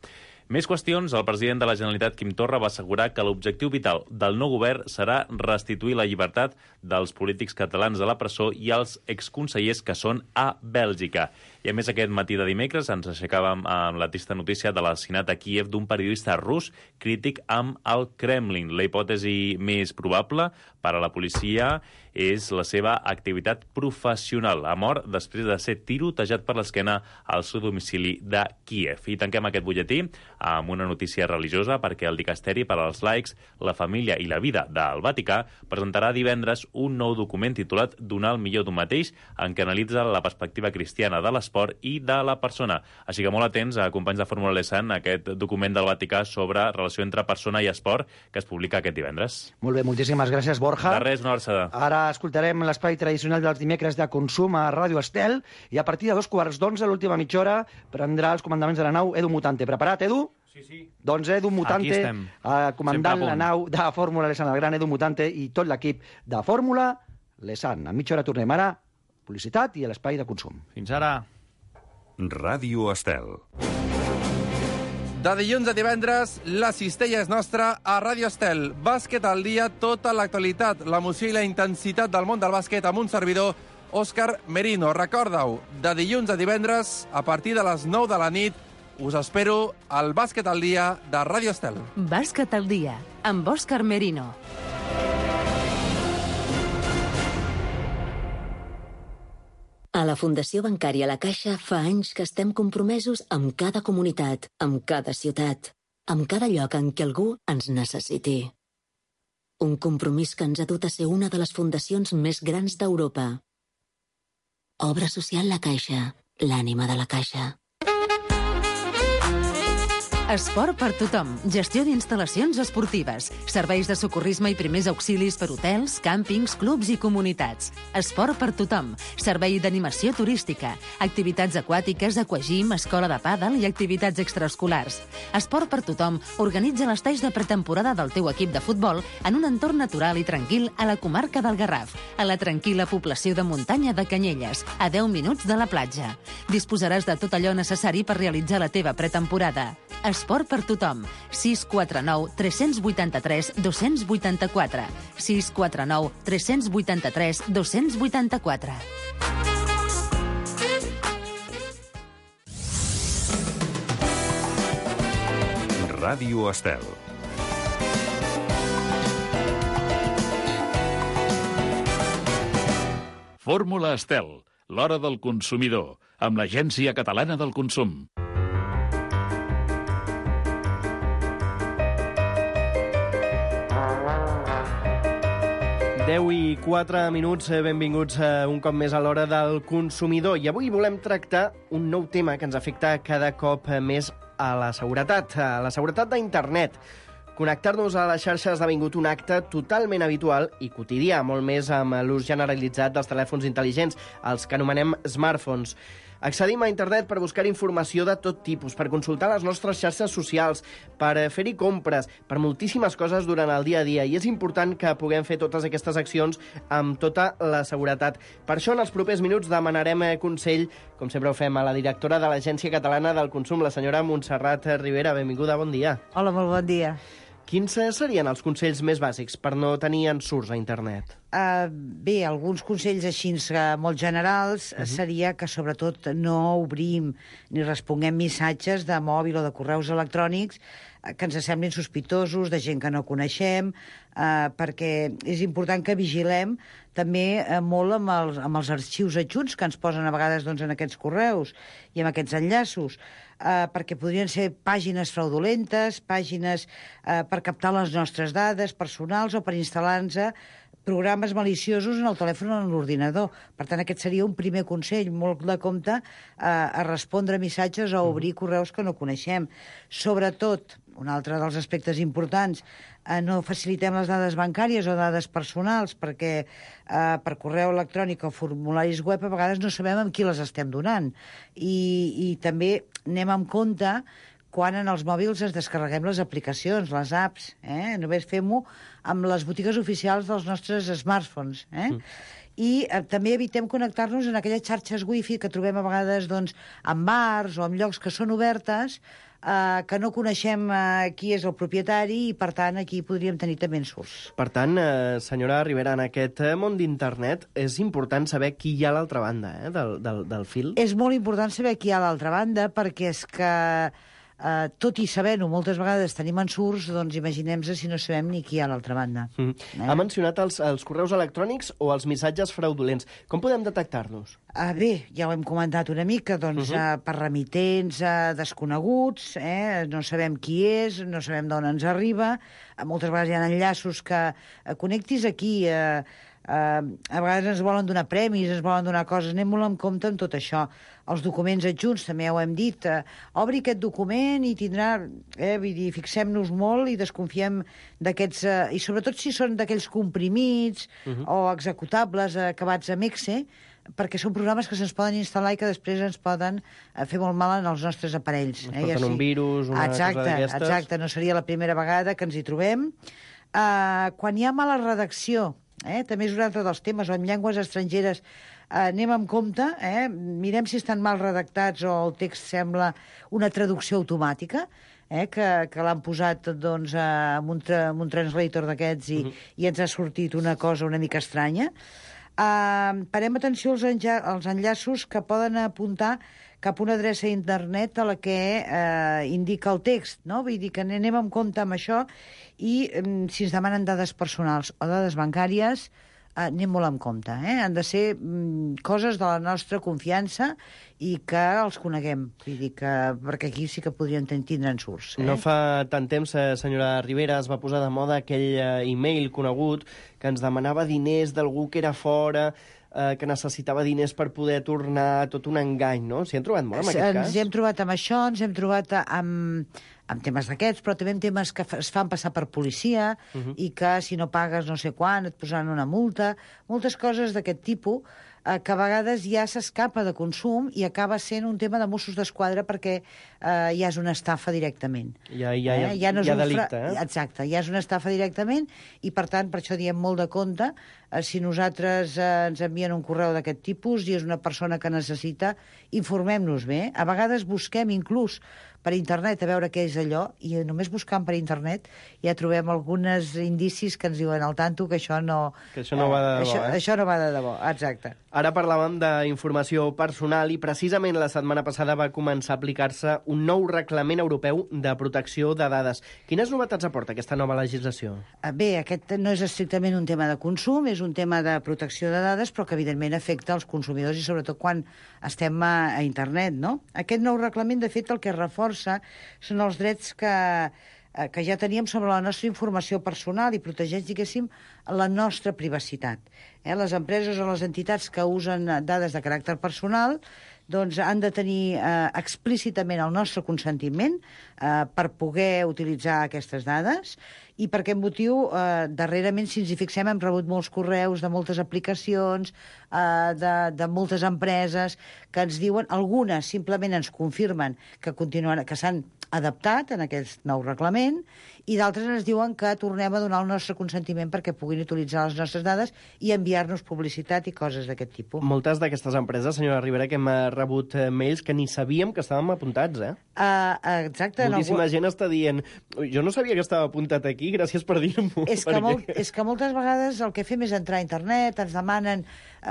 Més qüestions. El president de la Generalitat, Quim Torra, va assegurar que l'objectiu vital del nou govern serà restituir la llibertat dels polítics catalans de la presó i els exconsellers que són a Bèlgica. I a més, aquest matí de dimecres ens aixecàvem amb la trista notícia de l'assassinat a Kíev d'un periodista rus crític amb el Kremlin. La hipòtesi més probable per a la policia és la seva activitat professional. Ha mort després de ser tirotejat per l'esquena al seu domicili de Kíev. I tanquem aquest butlletí amb una notícia religiosa perquè el Dicasteri per als laics, la família i la vida del Vaticà presentarà divendres un nou document titulat Donar el millor d'un mateix, en què analitza la perspectiva cristiana de l'esport i de la persona. Així que molt atents, companys de Fórmula Lesan, aquest document del Vaticà sobre relació entre persona i esport que es publica aquest divendres. Molt bé, moltíssimes gràcies, Borja. De res, una abraçada. Ara escoltarem l'espai tradicional dels dimecres de consum a Ràdio Estel i a partir de 2:15, l'última mitja hora, prendrà els comandaments de la nau Edu Mutante. Preparat, Edu? Sí, sí. Doncs Edu Mutante, comandant la nau de Fórmula Lesan, el gran Edu Mutante i tot l'equip de Fórmula Lesan. A mitja hora tornem ara, publicitat i l'espai de consum. Fins ara. Ràdio Estel. De dilluns a divendres, la cistella és nostra a Ràdio Estel. Bàsquet al dia, tota l'actualitat, l'emoció i la intensitat del món del bàsquet amb un servidor, Òscar Merino. Recorda-ho, de dilluns a divendres, a partir de les 9 de la nit, us espero al Bàsquet al dia de Ràdio Estel. Bàsquet al dia, amb Òscar Merino. A la Fundació Bancària La Caixa fa anys que estem compromesos amb cada comunitat, amb cada ciutat, amb cada lloc en què algú ens necessiti. Un compromís que ens ha dut a ser una de les fundacions més grans d'Europa. Obra social La Caixa, l'ànima de la Caixa. Esport per tothom. Gestió d'instal·lacions esportives. Serveis de socorrisme i primers auxilis per hotels, càmpings, clubs i comunitats. Esport per tothom. Servei d'animació turística. Activitats aquàtiques, aquagym, escola de pàdel i activitats extraescolars. Esport per tothom organitza les talls de pretemporada del teu equip de futbol en un entorn natural i tranquil a la comarca del Garraf, a la tranquil·la població de muntanya de Canyelles, a 10 minuts de la platja. Disposaràs de tot allò necessari per realitzar la teva pretemporada. Esport per tothom. 649 383 284. 649 383 284. Ràdio Estel. Fórmula Estel, l'hora del consumidor, amb l'Agència Catalana del Consum. 10:04, benvinguts un cop més a l'hora del consumidor. I avui volem tractar un nou tema que ens afecta cada cop més a la seguretat d'internet. Connectar-nos a les xarxes ha esdevingut un acte totalment habitual i quotidià, molt més amb l'ús generalitzat dels telèfons intel·ligents, els que anomenem smartphones. Accedim a internet per buscar informació de tot tipus, per consultar les nostres xarxes socials, per fer-hi compres, per moltíssimes coses durant el dia a dia. I és important que puguem fer totes aquestes accions amb tota la seguretat. Per això, en els propers minuts, demanarem consell, com sempre ho fem, a la directora de l'Agència Catalana del Consum, la senyora Montserrat Rivera. Benvinguda, bon dia. Hola, molt bon dia. Quins serien els consells més bàsics per no tenir ensurts a internet? Bé, alguns consells així molt generals seria que sobretot no obrim ni responguem missatges de mòbil o de correus electrònics que ens semblin sospitosos, de gent que no coneixem, perquè és important que vigilem també molt amb els arxius adjunts que ens posen a vegades en aquests correus i amb aquests enllaços, perquè podrien ser pàgines fraudulentes, pàgines per captar les nostres dades personals o per instal·lar-nos programes maliciosos en el telèfon o en l'ordinador. Per tant, aquest seria un primer consell, molt de compte a respondre missatges o obrir correus que no coneixem. Sobretot, un altre dels aspectes importants, no facilitem les dades bancàries o dades personals, perquè per correu electrònic o formularis web a vegades no sabem amb qui les estem donant. I també anem amb compte quan en els mòbils ens descarreguem les aplicacions, les apps. Només fem-ho amb les botigues oficials dels nostres smartphones. I també evitem connectar-nos en aquelles xarxes wifi que trobem a vegades en bars o en llocs que són obertes, que no coneixem qui és el propietari i, per tant, aquí podríem tenir també ensurts. Per tant, senyora Rivera, en aquest món d'internet és important saber qui hi ha a l'altra banda del fil? És molt important saber qui hi ha a l'altra banda, perquè és que tot i sabent-ho, moltes vegades tenim ensurts, doncs imaginem-se si no sabem ni qui hi ha a l'altra banda. Ha mencionat els correus electrònics o els missatges fraudulents. Com podem detectar-los? Bé, ja ho hem comentat una mica, per remitents desconeguts, no sabem qui és, no sabem d'on ens arriba, moltes vegades hi ha enllaços que connectis aquí, a vegades ens volen donar premis, ens volen donar coses, anem molt en compte amb tot això. Els documents adjunts, també ja ho hem dit, obri aquest document i tindrà... Vull dir, fixem-nos molt i desconfiem d'aquests... I sobretot si són d'aquells comprimits o executables acabats amb exe, perquè són programes que se'ns poden instal·lar i que després ens poden fer molt mal en els nostres aparells. Porten un virus, una cosa d'aquestes... Exacte, no seria la primera vegada que ens hi trobem. Quan hi ha mala redacció, també és un altre dels temes, o en llengües estrangeres, anem amb compte, mirem si estan mal redactats o el text sembla una traducció automàtica, que l'han posat amb un translator d'aquests i ens ha sortit una cosa una mica estranya. Parem atenció als enllaços que poden apuntar cap a una adreça d'internet a la que indica el text, no? Vull dir que anem amb compte amb això i si ens demanen dades personals o dades bancàries, anem molt amb compte. Han de ser coses de la nostra confiança i que els coneguem. Vull dir que, perquè aquí sí que podrien tindre ensurts. No fa tant temps, senyora Rivera, es va posar de moda aquell e-mail conegut que ens demanava diners d'algú que era fora, que necessitava diners per poder tornar, tot un engany, no? S'hi han trobat molt, en aquest cas? Ens hi hem trobat amb això, ens hem trobat amb temes d'aquests, però també amb temes que es fan passar per policia i que si no pagues no sé quan et posaran una multa, moltes coses d'aquest tipus que a vegades ja s'escapa de consum i acaba sent un tema de Mossos d'Esquadra perquè ja és una estafa directament. Ja no és delicte, Exacte, ja és una estafa directament i, per tant, per això diem molt de compte si nosaltres ens envien un correu d'aquest tipus i és una persona que necessita, informem-nos bé. A vegades busquem inclús per internet a veure què és allò i només buscant per internet ja trobem alguns indicis que ens diuen al tanto que això no... Que això no va de debò, Això no va de debò, exacte. Ara parlàvem d'informació personal i precisament la setmana passada va començar a aplicar-se un nou reglament europeu de protecció de dades. Quines novetats aporta aquesta nova legislació? Bé, aquest no és estrictament un tema de consum, és un tema de protecció de dades, però que evidentment afecta els consumidors i sobretot quan estem a internet, no? Aquest nou reglament, de fet, el que reforça són els drets que ja teníem sobre la nostra informació personal i protegeix, diguéssim, la nostra privacitat. Les empreses o les entitats que usen dades de caràcter personal doncs han de tenir explícitament el nostre consentiment per poder utilitzar aquestes dades. I per aquest motiu, darrerament, si ens hi fixem, hem rebut molts correus de moltes aplicacions, de moltes empreses, que ens diuen, algunes simplement ens confirmen que s'han adaptat en aquest nou reglament, i d'altres ens diuen que tornem a donar el nostre consentiment perquè puguin utilitzar les nostres dades i enviar-nos publicitat i coses d'aquest tipus. Moltes d'aquestes empreses, senyora Rivera, que hem rebut mails que ni sabíem que estàvem apuntats, Exacte. Moltíssima gent està dient, jo no sabia que estava apuntat aquí, gràcies per dir-m'ho. És que moltes vegades el que fem és entrar a internet, ens demanen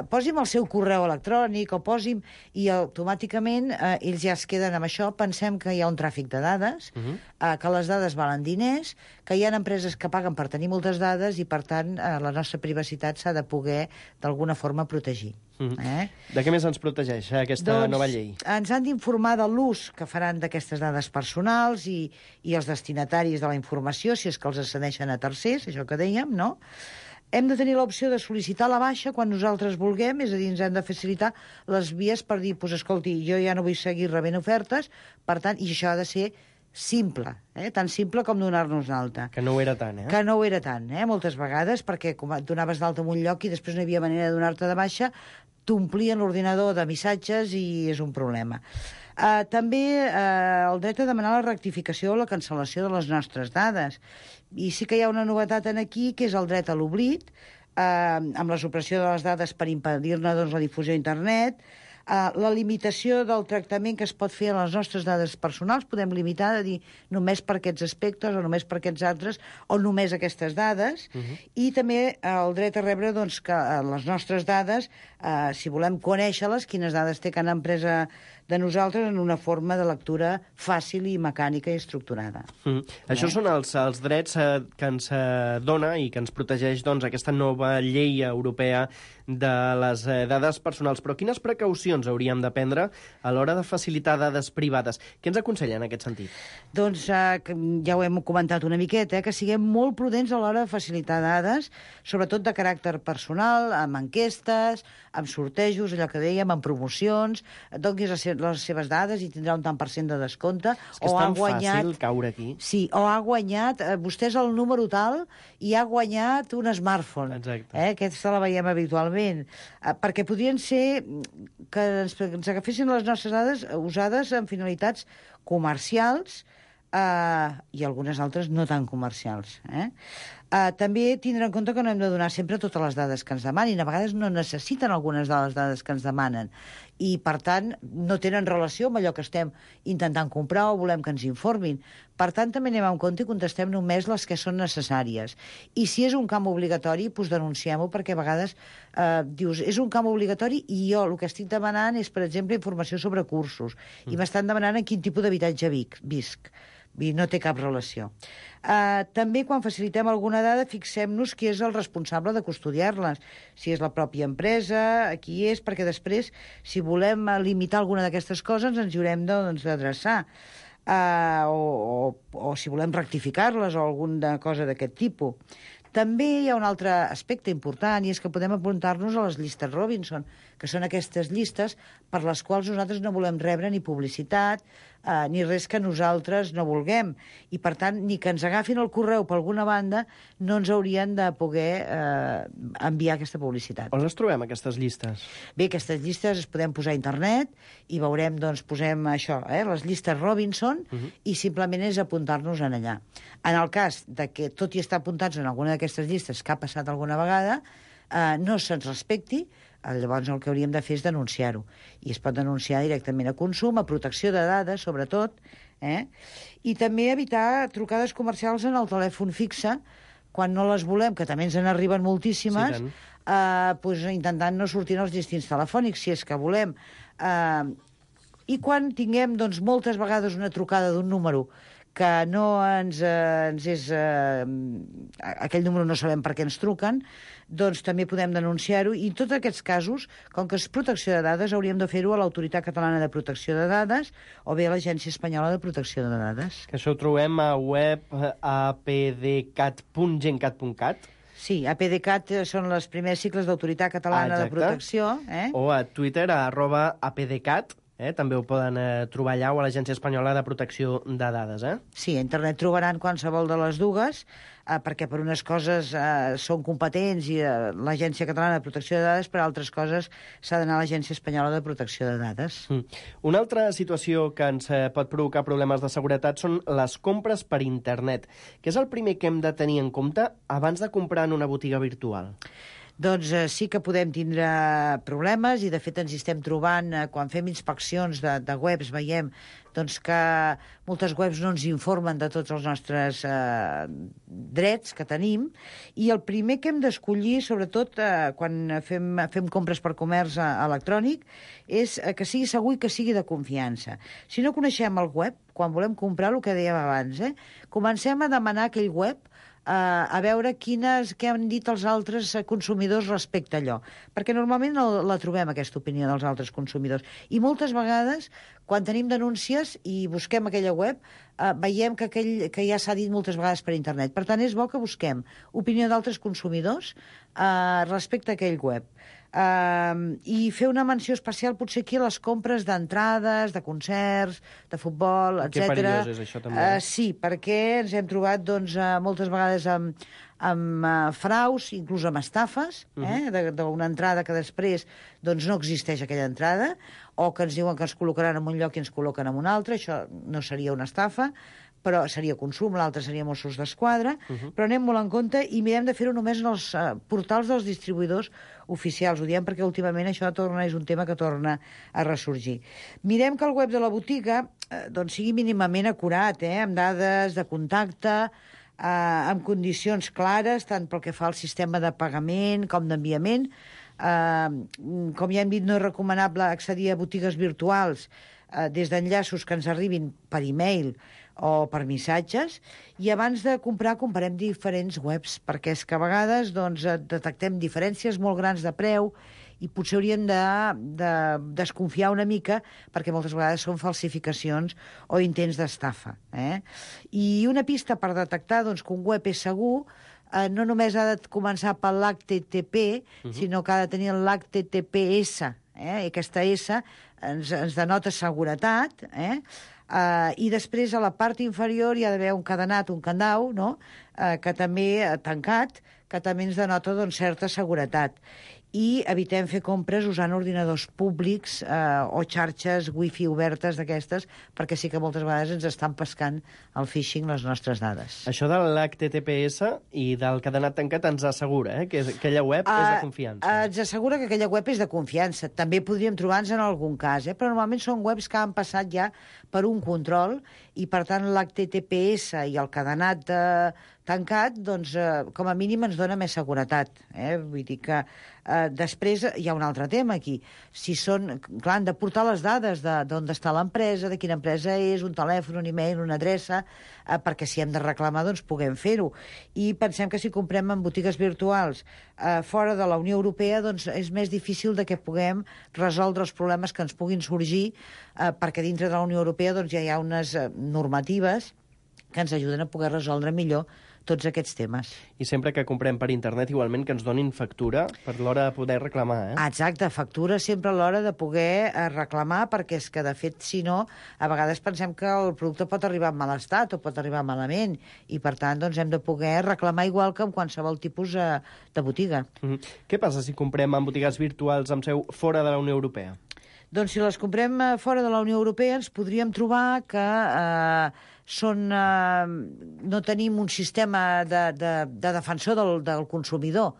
posi'm el seu correu electrònic o posi'm... I automàticament ells ja es queden amb això. Pensem que hi ha un tràfic de dades, que les dades valen diners, que hi ha empreses que paguen per tenir moltes dades i, per tant, la nostra privacitat s'ha de poder, d'alguna forma, protegir. De què més ens protegeix aquesta nova llei? Ens han d'informar de l'ús que faran d'aquestes dades personals i els destinataris de la informació, si és que els cedeixen a tercers, això que dèiem, no? Hem de tenir l'opció de sol·licitar la baixa quan nosaltres vulguem, és a dir, ens hem de facilitar les vies per dir, doncs, escolti, jo ja no vull seguir rebent ofertes, per tant, i això ha de ser simple, tan simple com donar-nos d'alta. Que no ho era tant, Que no ho era tant, moltes vegades, perquè com et donaves d'alta en un lloc i després no hi havia manera de donar-te de baixa, t'omplien l'ordinador de missatges i és un problema. També el dret a demanar la rectificació o la cancel·lació de les nostres dades. I sí que hi ha una novetat aquí, que és el dret a l'oblit, amb la supressió de les dades per impedir-ne la difusió a internet, la limitació del tractament que es pot fer a les nostres dades personals, podem limitar de dir només per aquests aspectes o només per aquests altres o només aquestes dades, i també el dret a rebre que les nostres dades, si volem conèixer-les, quines dades té cada empresa de nosaltres en una forma de lectura fàcil i mecànica i estructurada. Això són els drets que ens dona i que ens protegeix aquesta nova llei europea de les dades personals. Però quines precaucions hauríem de prendre a l'hora de facilitar dades privades? Què ens aconsella en aquest sentit? Doncs ja ho hem comentat una miqueta, que siguem molt prudents a l'hora de facilitar dades, sobretot de caràcter personal, amb enquestes, amb sortejos, allò que dèiem, amb promocions, donis les seves dades i tindrà un tant per cent de descompte. És que és tan fàcil caure aquí. Sí, o ha guanyat, vostè és el número tal i ha guanyat un smartphone. Exacte. Aquesta la veiem habitualment. Perquè podrien ser que ens agafessin les nostres dades usades en finalitats comercials i algunes altres no tan comercials. També tindre en compte que no hem de donar sempre totes les dades que ens demanin. A vegades no necessiten algunes de les dades que ens demanen i, per tant, no tenen relació amb allò que estem intentant comprar o volem que ens informin. Per tant, també anem en compte i contestem només les que són necessàries. I si és un camp obligatori, doncs denunciem-ho, perquè a vegades dius, és un camp obligatori i jo el que estic demanant és, per exemple, informació sobre cursos. I m'estan demanant en quin tipus d'habitatge visc. No té cap relació. També, quan facilitem alguna dada, fixem-nos qui és el responsable de custodiar-les. Si és la pròpia empresa, qui és, perquè després, si volem limitar alguna d'aquestes coses, ens hi haurem d'adreçar. O si volem rectificar-les o alguna cosa d'aquest tipus. També hi ha un altre aspecte important, i és que podem apuntar-nos a les llistes Robinson, que són aquestes llistes per les quals nosaltres no volem rebre ni publicitat, ni res que nosaltres no vulguem. I, per tant, ni que ens agafin el correu per alguna banda, no ens haurien de poder enviar aquesta publicitat. On les trobem, aquestes llistes? Bé, aquestes llistes es podem posar a internet i veurem, doncs, posem això, les llistes Robinson, i simplement és apuntar-nos en allà. En el cas de que, tot i estar apuntats en alguna d'aquestes llistes que ha passat alguna vegada, no se'ns respecti, llavors el que hauríem de fer és denunciar-ho. I es pot denunciar directament a consum, a protecció de dades, sobretot, i també evitar trucades comercials en el telèfon fixe, quan no les volem, que també ens en arriben moltíssimes, intentant no sortir als distints telefònics, si és que volem. I quan tinguem, doncs, moltes vegades una trucada d'un número que no ens és... aquell número no sabem per què ens truquen, doncs també podem denunciar-ho. I en tots aquests casos, com que és protecció de dades, hauríem de fer-ho a l'Autoritat Catalana de Protecció de Dades o bé a l'Agència Espanyola de Protecció de Dades. Que això ho trobem a web apdcat.gencat.cat. Sí, APDCAT són les primeres sigles d'Autoritat Catalana de Protecció. O a Twitter, @apdcat. També ho poden trobar allà o a l'Agència Espanyola de Protecció de Dades. Sí, a internet trobaran qualsevol de les dues, perquè per unes coses són competents i l'Agència Catalana de Protecció de Dades, per altres coses s'ha d'anar a l'Agència Espanyola de Protecció de Dades. Una altra situació que ens pot provocar problemes de seguretat són les compres per internet. Què és el primer que hem de tenir en compte abans de comprar en una botiga virtual? Doncs sí que podem tindre problemes i, de fet, ens hi estem trobant quan fem inspeccions de webs, veiem doncs, que moltes webs no ens informen de tots els nostres drets que tenim, i el primer que hem d'escollir, sobretot quan fem compres per comerç electrònic, és que sigui segur i que sigui de confiança. Si no coneixem el web, quan volem comprar, el que dèiem abans, comencem a demanar aquell web a veure què han dit els altres consumidors respecte a allò. Perquè normalment no la trobem, aquesta opinió dels altres consumidors. I moltes vegades, quan tenim denúncies i busquem aquella web, veiem que ja s'ha dit moltes vegades per internet. Per tant, és bo que busquem opinió d'altres consumidors respecte a aquell web. I fer una menció especial potser aquí a les compres d'entrades, de concerts, de futbol, etc. Que perillós és això, també. Sí, perquè ens hem trobat moltes vegades amb fraus, inclús amb estafes, d'una entrada que després no existeix aquella entrada, o que ens diuen que ens col·locaran en un lloc i ens col·loquen en un altre. Això no seria una estafa, però seria consum, l'altre seria Mossos d'Esquadra, però anem molt en compte i mirem de fer-ho només en els portals dels distribuïdors oficials. Ho diem perquè últimament això és un tema que torna a ressorgir. Mirem que el web de la botiga sigui mínimament acurat, amb dades de contacte, amb condicions clares, tant pel que fa al sistema de pagament com d'enviament. Com ja hem dit, no és recomanable accedir a botigues virtuals des d'enllaços que ens arribin per e-mail o per missatges, i abans de comprar comparem diferents webs, perquè és que a vegades detectem diferències molt grans de preu i potser hauríem de desconfiar una mica, perquè moltes vegades són falsificacions o intents d'estafa. I una pista per detectar que un web és segur no només ha de començar per l'HTTP, sinó que ha de tenir l'HTTPS. Aquesta S ens denota seguretat, i després a la part inferior hi ha d'haver un cadenat, un candau, que també tancat, que també ens denota certa seguretat. I evitem fer compres usant ordinadors públics o xarxes wifi obertes d'aquestes, perquè sí que moltes vegades ens estan pescant el phishing les nostres dades. Això de l'HTTPS i del cadenat tancat ens assegura que aquella web és de confiança. Ens assegura que aquella web és de confiança. També podríem trobar-nos en algun cas, però normalment són webs que han passat ja per un control i, per tant, l'HTTPS i el cadenat tancat, com a mínim ens dona més seguretat. Vull dir que després hi ha un altre tema aquí. Clar, han de portar les dades d'on està l'empresa, de quina empresa és, un telèfon, un e-mail, una adreça, perquè si hem de reclamar, puguem fer-ho. I pensem que si comprem en botigues virtuals fora de la Unió Europea, és més difícil que puguem resoldre els problemes que ens puguin sorgir, perquè dintre de la Unió Europea ja hi ha unes normatives que ens ajuden a poder resoldre millor tots aquests temes. I sempre que comprem per internet, igualment que ens donin factura per l'hora de poder reclamar, Exacte, factura sempre a l'hora de poder reclamar, perquè és que, de fet, si no, a vegades pensem que el producte pot arribar en mal estat o pot arribar malament, i, per tant, hem de poder reclamar igual que en qualsevol tipus de botiga. Què passa si comprem en botigues virtuals amb seu fora de la Unió Europea? Doncs si les comprem fora de la Unió Europea ens podríem trobar que no tenim un sistema de defensor del consumidor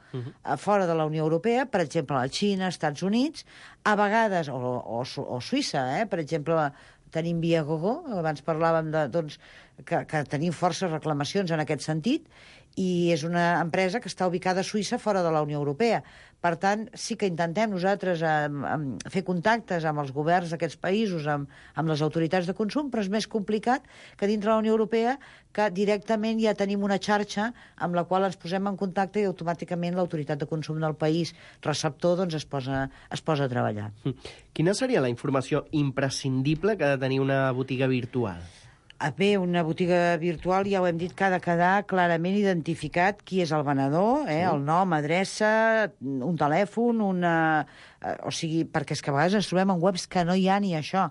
fora de la Unió Europea, per exemple, a la Xina, Estats Units, a vegades, o Suïssa, per exemple, tenim Viagogo, abans parlàvem que tenim forces reclamacions en aquest sentit, i és una empresa que està ubicada a Suïssa fora de la Unió Europea. Per tant, sí que intentem nosaltres fer contactes amb els governs d'aquests països, amb les autoritats de consum, però és més complicat que dintre de la Unió Europea, que directament ja tenim una xarxa amb la qual ens posem en contacte i automàticament l'autoritat de consum del país receptor es posa a treballar. Quina seria la informació imprescindible que ha de tenir una botiga virtual? Bé, una botiga virtual, ja ho hem dit, que ha de quedar clarament identificat qui és el venedor, el nom, adreça, un telèfon, o sigui, perquè és que a vegades ens trobem en webs que no hi ha ni això.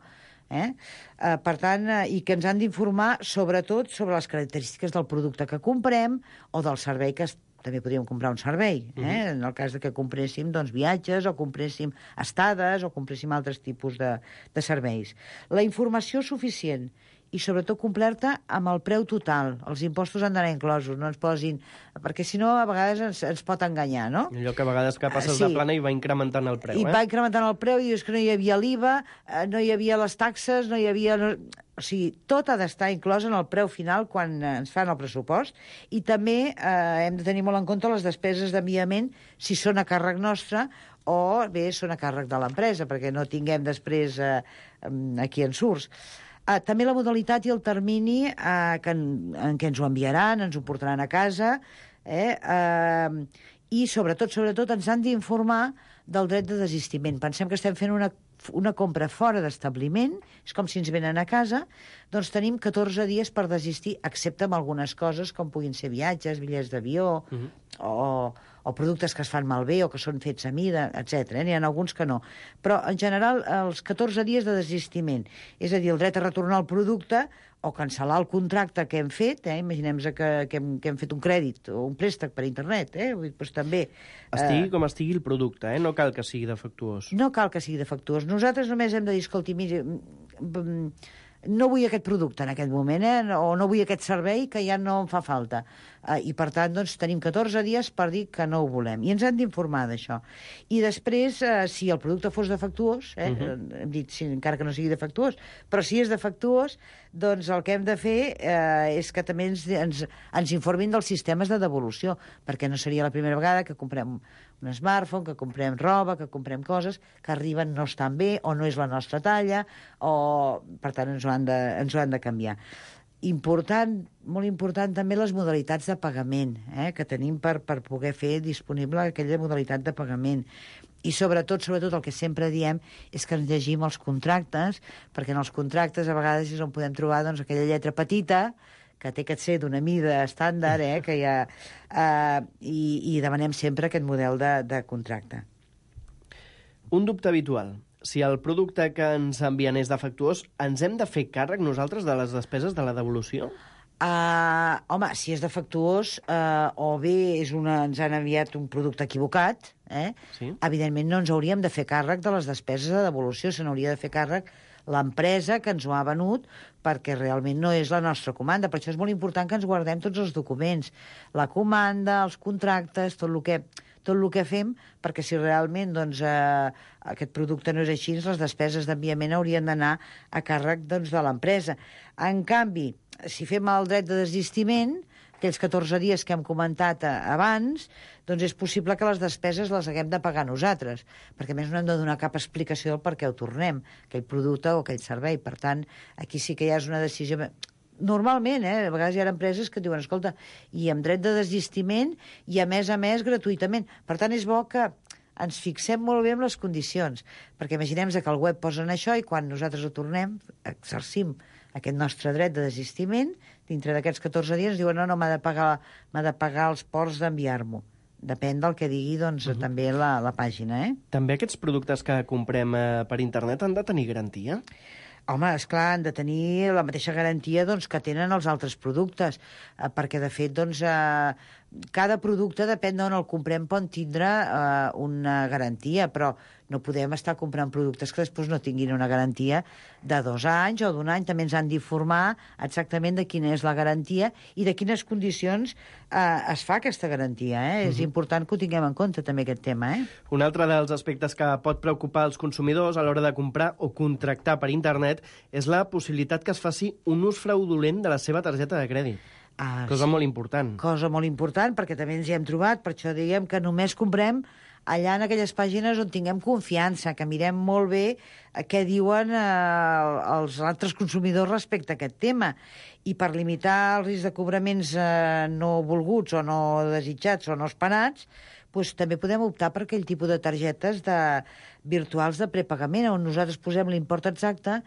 Per tant, i que ens han d'informar sobretot sobre les característiques del producte que comprem o del servei que també podríem comprar un servei, en el cas de que compréssim viatges o compréssim estades o compréssim altres tipus de serveis. La informació suficient i sobretot complerta amb el preu total. Els impostos han d'anar inclosos, no ens posin... Perquè si no, a vegades ens pot enganyar, no? Allò que a vegades que passes de plana i va incrementant el preu, I va incrementant el preu i dius que no hi havia l'IVA, no hi havia les taxes, no hi havia... O sigui, tot ha d'estar inclòs en el preu final quan ens fan el pressupost i també hem de tenir molt en compte les despeses d'enviament si són a càrrec nostre o bé són a càrrec de l'empresa, perquè no tinguem després aquí en surts. També la modalitat i el termini en què ens ho enviaran, ens ho portaran a casa, i sobretot ens han d'informar del dret de desistiment. Pensem que estem fent una compra fora d'establiment, és com si ens venen a casa, doncs tenim 14 dies per desistir, excepte amb algunes coses com puguin ser viatges, bitllets d'avió, o productes que es fan malbé o que són fets a mida, etc. N'hi ha alguns que no. Però, en general, els 14 dies de desistiment, és a dir, el dret a retornar el producte o cancel·lar el contracte que hem fet, imaginem-nos que hem fet un crèdit o un préstec per internet, doncs també... Estigui com estigui el producte, no cal que sigui defectuós. No cal que sigui defectuós. Nosaltres només hem de dir, escolti, miri, no vull aquest producte en aquest moment, o no vull aquest servei que ja no em fa falta. I, per tant, doncs, tenim 14 dies per dir que no ho volem. I ens han d'informar d'això. I després, si el producte fos defectuós, hem dit, encara que no sigui defectuós, però si és defectuós, doncs el que hem de fer és que també ens informin dels sistemes de devolució, perquè no seria la primera vegada que comprem un smartphone, que comprem roba, que comprem coses que arriben no estan bé o no és la nostra talla, o per tant ens ho han de canviar. Important, molt important també les modalitats de pagament que tenim per poder fer disponible aquella modalitat de pagament. I sobretot el que sempre diem és que ens llegim els contractes, perquè en els contractes a vegades és on podem trobar aquella lletra petita que té que ser d'una mida estàndard, que hi ha, i demanem sempre aquest model de contracte. Un dubte habitual. Si el producte que ens envien és defectuós, ens hem de fer càrrec nosaltres de les despeses de la devolució? Home, si és defectuós, o bé ens han enviat un producte equivocat, evidentment no ens hauríem de fer càrrec de les despeses de devolució, se n'hauria de fer càrrec l'empresa que ens ho ha venut, perquè realment no és la nostra comanda. Per això és molt important que ens guardem tots els documents, la comanda, els contractes, tot el que fem, perquè si realment aquest producte no és així, les despeses d'enviament haurien d'anar a càrrec de l'empresa. En canvi, si fem el dret de desistiment, aquells 14 dies que hem comentat abans, doncs és possible que les despeses les haguem de pagar nosaltres, perquè a més no hem de donar cap explicació del per què ho tornem, aquell producte o aquell servei. Per tant, aquí sí que ja és una decisió... Normalment, a vegades hi ha empreses que diuen, escolta, i amb dret de desistiment i a més gratuïtament. Per tant, és bo que ens fixem molt bé en les condicions, perquè imaginem que al web posen això i quan nosaltres ho tornem, exercim aquest nostre dret de desistiment, dintre d'aquests 14 dies diuen no, m'ha de pagar els ports d'enviar-m'ho. Depèn del que digui també la pàgina. També aquests productes que comprem per internet han de tenir garantia? Home, esclar, han de tenir la mateixa garantia que tenen els altres productes, perquè, de fet, cada producte, depèn d'on el comprem, pot tindre una garantia, però no podem estar comprant productes que després no tinguin una garantia de 2 anys o d'1 any. També ens han d'informar exactament de quina és la garantia i de quines condicions es fa aquesta garantia. És important que ho tinguem en compte, també, aquest tema. Un altre dels aspectes que pot preocupar els consumidors a l'hora de comprar o contractar per internet és la possibilitat que es faci un ús fraudulent de la seva targeta de crèdit. Cosa molt important. Cosa molt important, perquè també ens hi hem trobat, per això diguem que només comprem allà en aquelles pàgines on tinguem confiança, que mirem molt bé què diuen els altres consumidors respecte a aquest tema. I per limitar el risc de cobraments no volguts o no desitjats o no esperats, doncs també podem optar per aquell tipus de targetes virtuals de prepagament, on nosaltres posem l'import exacte,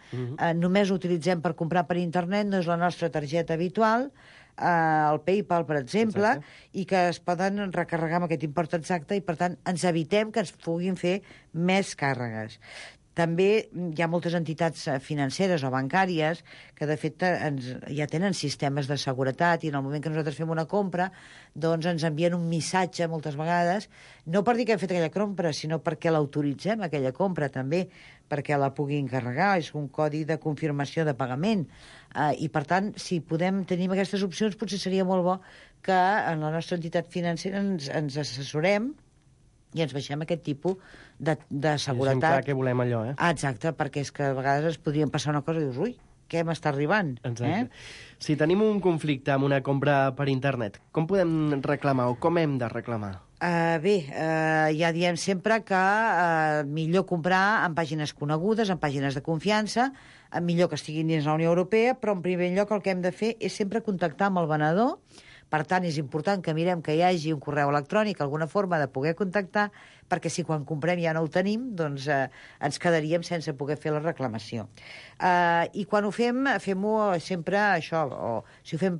només l'utilitzem per comprar per internet, no és la nostra targeta habitual, el PayPal, per exemple, i que es poden recarregar amb aquest import exacte i, per tant, ens evitem que ens puguin fer més càrregues. També hi ha moltes entitats financeres o bancàries que, de fet, ja tenen sistemes de seguretat i en el moment que nosaltres fem una compra doncs ens envien un missatge moltes vegades, no per dir que hem fet aquella compra, sinó perquè l'autoritzem, aquella compra, també, perquè la puguin carregar. És un codi de confirmació de pagament. I, per tant, si podem tenir aquestes opcions, potser seria molt bo que en la nostra entitat financera ens assessorem i ens baixem aquest tipus de seguretat. És clar que volem allò, Exacte, perquè és que a vegades es podrien passar una cosa i dius, ui, què m'està arribant? Exacte. Si tenim un conflicte amb una compra per internet, com podem reclamar o com hem de reclamar? Ja diem sempre que millor comprar en pàgines conegudes, en pàgines de confiança, millor que estiguin dins la Unió Europea, però en primer lloc el que hem de fer és sempre contactar amb el venedor. Per tant, és important que mirem que hi hagi un correu electrònic, alguna forma de poder contactar, perquè si quan comprem ja no ho tenim, doncs ens quedaríem sense poder fer la reclamació. I quan ho fem-ho sempre això, o si ho fem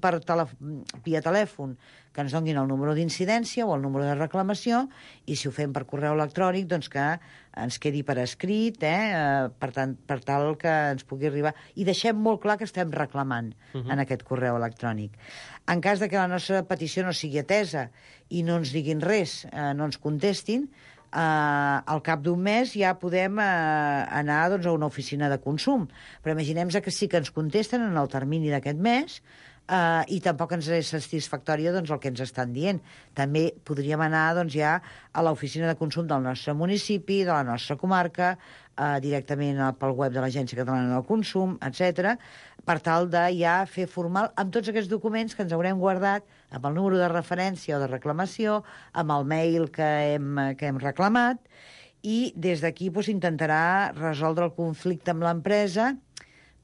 via telèfon, que ens donin el número d'incidència o el número de reclamació, i si ho fem per correu electrònic, doncs que ens quedi per escrit, per tal que ens pugui arribar. I deixem molt clar que estem reclamant en aquest correu electrònic. En cas de que la nostra petició no sigui atesa i no ens diguin res, no ens contestin, al cap d'un mes ja podem anar a una oficina de consum. Però imaginem que sí que ens contesten en el termini d'aquest mes, i tampoc ens és satisfactòria el que ens estan dient. També podríem anar ja a l'oficina de consum del nostre municipi, de la nostra comarca, directament pel web de l'Agència Catalana del Consum, etc., per tal de ja fer formal amb tots aquests documents que ens haurem guardat, amb el número de referència o de reclamació, amb el mail que hem reclamat, i des d'aquí intentarà resoldre el conflicte amb l'empresa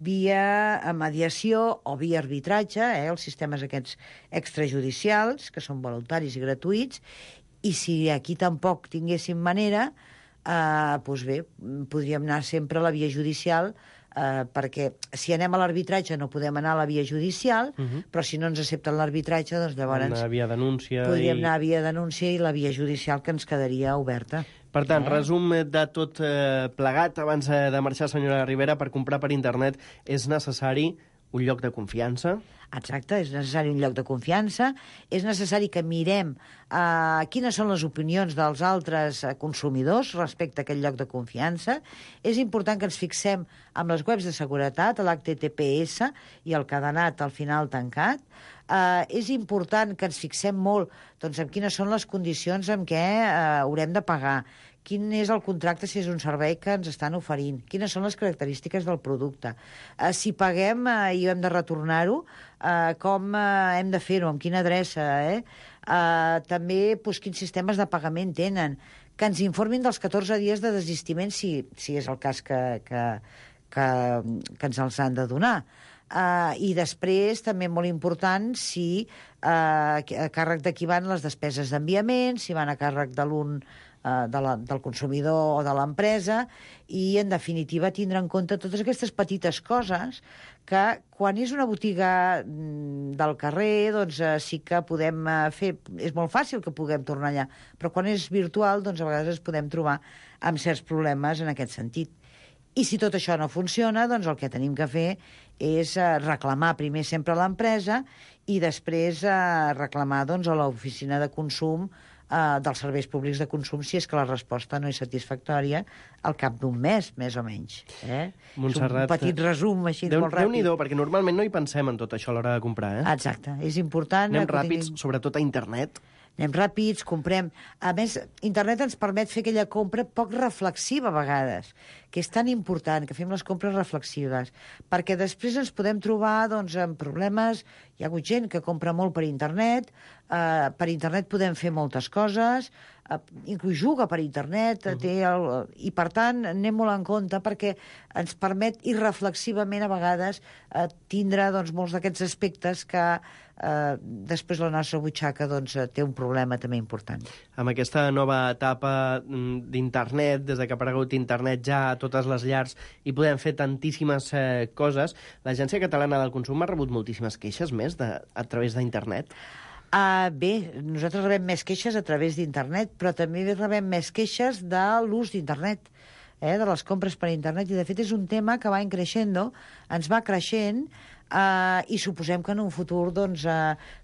via mediació o via arbitratge, els sistemes aquests extrajudicials, que són voluntaris i gratuïts, i si aquí tampoc tinguéssim manera, doncs bé, podríem anar sempre a la via judicial, perquè si anem a l'arbitratge no podem anar a la via judicial, però si no ens accepten l'arbitratge, doncs llavors podríem anar a via denúncia i la via judicial que ens quedaria oberta. Per tant, resum de tot plegat, abans de marxar, senyora Rivera, per comprar per internet és necessari un lloc de confiança? Exacte, és necessari un lloc de confiança, és necessari que mirem quines són les opinions dels altres consumidors respecte a aquest lloc de confiança. És important que ens fixem amb les webs de seguretat, l'HTTPS i el cadenat al final tancat. És important que ens fixem molt en quines són les condicions en què haurem de pagar, quin és el contracte si és un servei que ens estan oferint, quines són les característiques del producte. Si paguem i hem de retornar-ho, com hem de fer-ho, amb quina adreça, també quins sistemes de pagament tenen, que ens informin dels 14 dies de desistiment, si és el cas que ens els han de donar. I després, també molt important, si a càrrec de qui van les despeses d'enviament, si van a càrrec de del consumidor o de l'empresa, i, en definitiva, tindre en compte totes aquestes petites coses que, quan és una botiga del carrer, doncs sí que podem fer... És molt fàcil que puguem tornar allà, però quan és virtual, doncs a vegades ens podem trobar amb certs problemes en aquest sentit. I si tot això no funciona, doncs el que tenim que fer és reclamar primer sempre a l'empresa i després reclamar a l'oficina de consum dels serveis públics de consum si és que la resposta no és satisfactòria al cap d'un mes, més o menys. Montserrat, és un petit resum així molt ràpid. Déu-n'hi-do, perquè normalment no hi pensem en tot això a l'hora de comprar. Exacte, és important. Anem ràpids, sobretot a internet. Anem ràpids, comprem... A més, internet ens permet fer aquella compra poc reflexiva a vegades, que és tan important que fem les compres reflexives, perquè després ens podem trobar doncs, amb problemes. Hi ha hagut gent que compra molt per internet, per internet podem fer moltes coses, inclús juga per internet, i per tant anem molt en compte perquè ens permet irreflexivament a vegades tindre doncs, molts d'aquests aspectes que després la nostra butxaca doncs, té un problema també important. Amb aquesta nova etapa d'internet, des que ha aparegut internet ja a totes les llars i podem fer tantíssimes coses, l'Agència Catalana del Consum ha rebut moltíssimes queixes més a través d'internet? Bé, nosaltres rebem més queixes a través d'internet, però també rebem més queixes de l'ús d'internet, de les compres per internet, i de fet és un tema que va creixent, ens va creixent, i suposem que en un futur, doncs,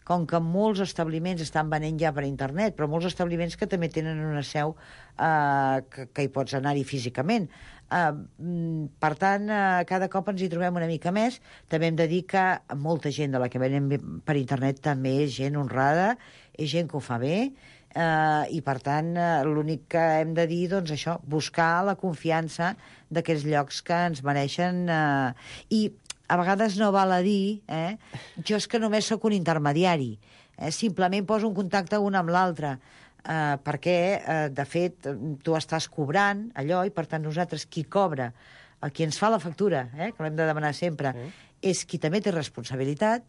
com que molts establiments estan venent ja per internet, però molts establiments que també tenen una seu que hi pots anar-hi físicament. Per tant, cada cop ens hi trobem una mica més. També hem de dir que molta gent de la que venem per internet també és gent honrada, és gent que ho fa bé, i per tant l'únic que hem de dir, doncs això, buscar la confiança d'aquells llocs que ens mereixen, i a vegades no val a dir, jo és que només sóc un intermediari, simplement poso un contacte un amb l'altre, perquè, de fet, tu estàs cobrant allò, i per tant nosaltres, qui cobra, qui ens fa la factura, que l'hem de demanar sempre, és qui també té responsabilitat,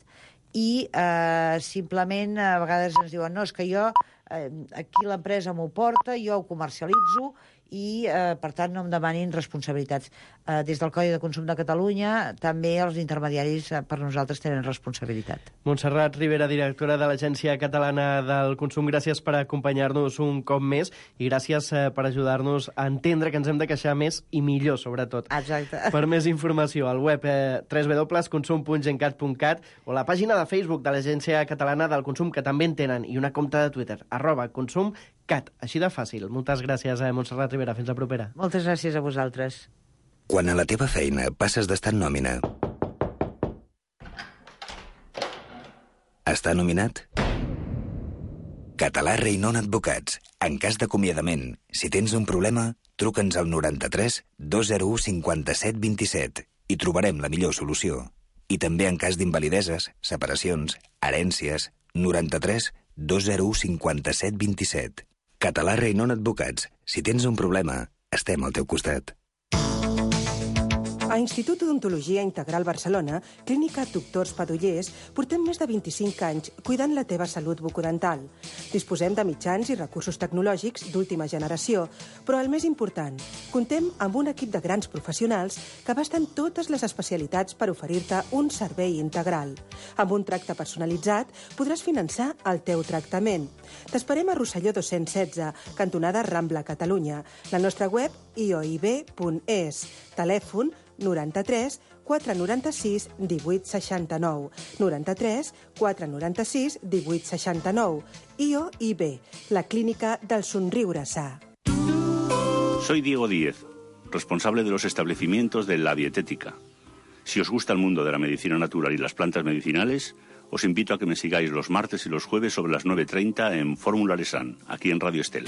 i simplement a vegades ens diuen, no, és que jo, aquí l'empresa m'ho porta, jo ho comercialitzo, i, per tant, no em demanin responsabilitats. Des del Codi de Consum de Catalunya, també els intermediaris per nosaltres tenen responsabilitat. Montserrat Ribera, directora de l'Agència Catalana del Consum, gràcies per acompanyar-nos un cop més i gràcies per ajudar-nos a entendre que ens hem de queixar més i millor, sobretot. Exacte. Per més informació, al web www.consum.gencat.cat o la pàgina de Facebook de l'Agència Catalana del Consum, que també en tenen, i una compte de Twitter, @consumcat. Així de fàcil. Moltes gràcies, Montserrat Ribera. Fins la propera. Moltes gràcies a vosaltres. Quan a la teva feina passes d'estar en nòmina a estar nominat? Català Reinon Advocats. En cas d'acomiadament, si tens un problema, truca'ns al 93 201 57 27 i trobarem la millor solució. I també en cas d'invalideses, separacions, herències, 93 201 57 27. Català Reinon Advocats. Si tens un problema, estem al teu costat. A Institut d'Odontologia Integral Barcelona, Clínica Doctors Padullers, portem més de 25 anys cuidant la teva salut bucodental. Disposem de mitjans i recursos tecnològics d'última generació, però el més important, comptem amb un equip de grans professionals que abasten totes les especialitats per oferir-te un servei integral. Amb un tracte personalitzat podràs finançar el teu tractament. T'esperem a Rosselló 216, cantonada Rambla, Catalunya. La nostra web ioib.es. Telèfon 93 496 18 69. 93 496 18 69. IOIB, la clínica del somriure sa. Soy Diego Díez, responsable de los establecimientos de La Dietética. Si os gusta el mundo de la medicina natural y las plantas medicinales, os invito a que me sigáis los martes y los jueves sobre las 9:30 en Fórmula Lesan, aquí en Radio Estel.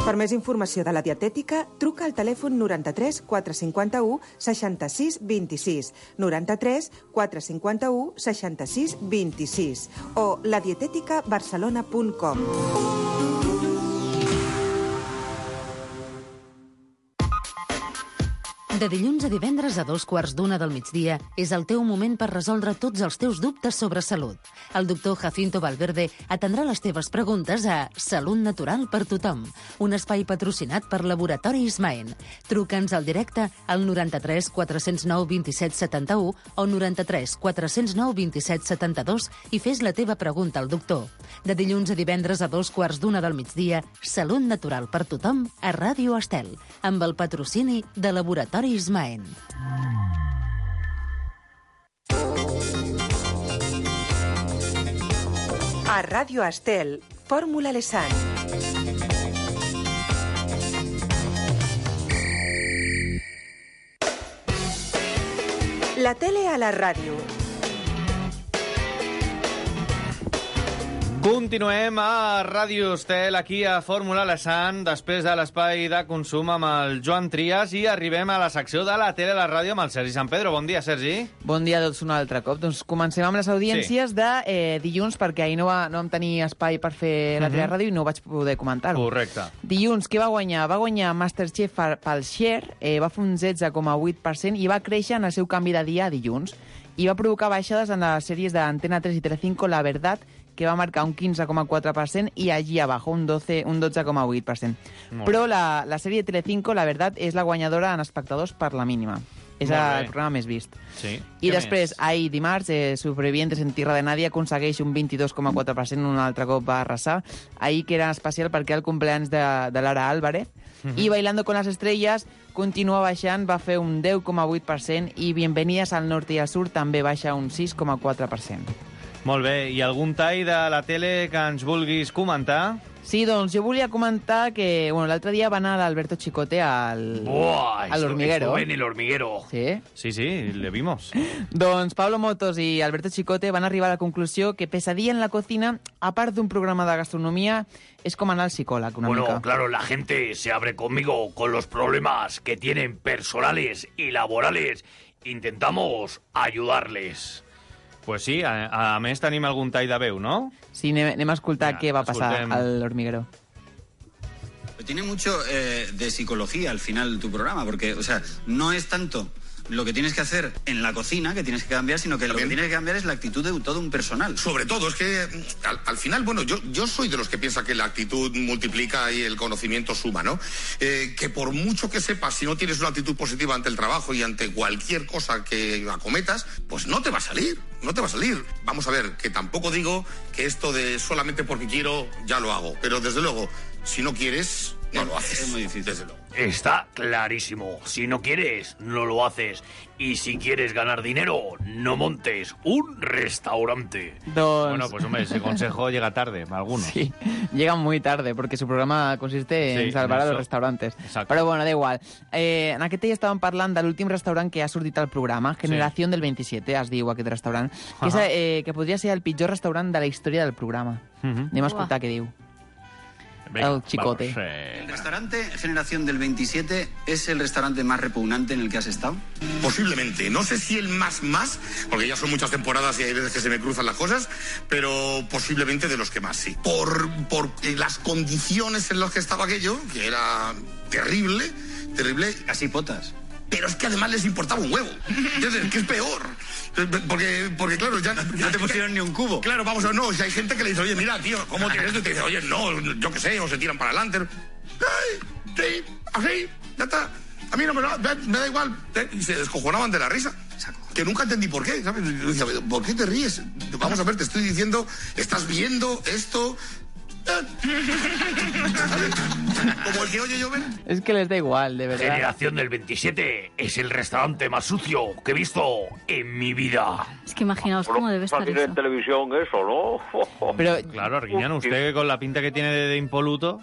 Per més informació de la dietètica, truca al telèfon 93 451 66 26, 93 451 66 26 o ladieteticabarcelona.com. De dilluns a divendres a 2:15 del migdia és el teu moment per resoldre tots els teus dubtes sobre salut. El doctor Jacinto Valverde atendrà les teves preguntes a Salut Natural per Tothom, un espai patrocinat per Laboratori Ismaen. Truca'ns al directe al 93 409 27 71 o 93 409 27 72 i fes la teva pregunta al doctor. De dilluns a divendres a 2:15 del migdia, Salut Natural per Tothom a Ràdio Estel, amb el patrocini de Laboratori Ismaen. A Ràdio Estel, Fórmula Lesan. La tele a la ràdio. Continuem a Ràdio Estel, aquí a Fórmula Alessant, després de l'espai de consum amb el Joan Trias, i arribem a la secció de la tele a la ràdio amb el Sergi Sant Pedro. Bon dia, Sergi. Bon dia a tots un altre cop. Doncs comencem amb les audiències de dilluns, perquè ahir no vam tenir espai per fer la tele a ràdio i no vaig poder comentar-ho. Correcte. Dilluns, què va guanyar? Va guanyar Masterchef pel share, va fer un 16,8% i va créixer en el seu canvi de dia a dilluns. I va provocar baixades en les sèries d'Antena 3 i Telecinco, La Verdad, que va marcar un 15,4% i allí abajo un 12,8%. Però la sèrie de Telecinco, La Verdad, és la guanyadora en espectadors per la mínima. És el programa més vist. Sí. I després, ahir dimarts, Supervivientes en Tierra de Nadie aconsegueix un 22,4%, un altre cop va arrasar. Ahir, que era especial perquè el cumpleaños de Lara Álvarez. I Bailando con las Estrellas continua baixant, va fer un 10,8%, i Bienvenidas al Norte y al Sur també baixa un 6,4%. Molt bé, i algun tall de la tele que ens vulguis comentar? Sí, doncs jo volia comentar que l'altre dia va anar l'Alberto Chicote al Hormiguero. Estuve en el Hormiguero. ¿Sí? Sí, le vimos. Doncs Pablo Motos i Alberto Chicote van arribar a la conclusió que Pesadilla en la cocina, a part d'un programa de gastronomia, és com anar al psicòleg una mica. Bueno, claro, la gente se abre conmigo con los problemas que tienen personales y laborales. Intentamos ayudarles. Pues sí, a més tenim algun tall de veu, ¿no? Sí, anem a escoltar què va passar al Hormiguero. Tiene mucho de psicología al final tu programa, porque, o sea, no es tanto lo que tienes que hacer en la cocina que tienes que cambiar, sino que lo que tienes que cambiar es la actitud de todo un personal. Sobre todo, es que al final, bueno, yo soy de los que piensa que la actitud multiplica y el conocimiento suma, ¿no? Que por mucho que sepas, si no tienes una actitud positiva ante el trabajo y ante cualquier cosa que acometas, pues no te va a salir, no te va a salir. Vamos a ver, que tampoco digo que esto de solamente porque quiero ya lo hago, pero desde luego, si no quieres, no lo haces. Es muy difícil. Desde luego. Está clarísimo. Si no quieres, no lo haces. Y si quieres ganar dinero, no montes un restaurante. Bueno, pues hombre, ese consejo llega tarde, algunos. Sí, llega muy tarde, porque su programa consiste en salvar a los restaurantes. Exacto. Però bueno, da igual. En aquest dia estàvem parlant de l'últim restaurant que ha sortit al programa, Generación del 27, es diu aquest restaurant, que, que podria ser el pitjor restaurant de la història del programa. Anem a escoltar què diu. El Chicote. ¿El restaurante Generación del 27 es el restaurante más repugnante en el que has estado? Posiblemente. No sé si el más, porque ya son muchas temporadas y hay veces que se me cruzan las cosas, pero posiblemente de los que más, sí. Por las condiciones en las que estaba aquello, que era terrible. Casi potas. Pero es que además les importaba un huevo. Entonces, ¿qué es peor? Porque claro, ya... No te pusieron ni un cubo. Claro, vamos a ver, no, si hay gente que le dice, oye, mira, tío, ¿cómo tienes esto? Y te dice, oye, no, yo qué sé, o se tiran para adelante. Sí, así, ya está. A mí no me da igual. Y se descojonaban de la risa. Que nunca entendí por qué, ¿sabes? Yo decía, ¿por qué te ríes? Vamos a ver, te estoy diciendo, estás viendo esto... Como el que oye llover. Es que les da igual, de verdad. Generación del 27 es el restaurante más sucio que he visto en mi vida. Es que imaginaos cómo debe estar eso. En televisión eso, ¿no? Pero, claro, Arguiñano, usted con la pinta que tiene de impoluto,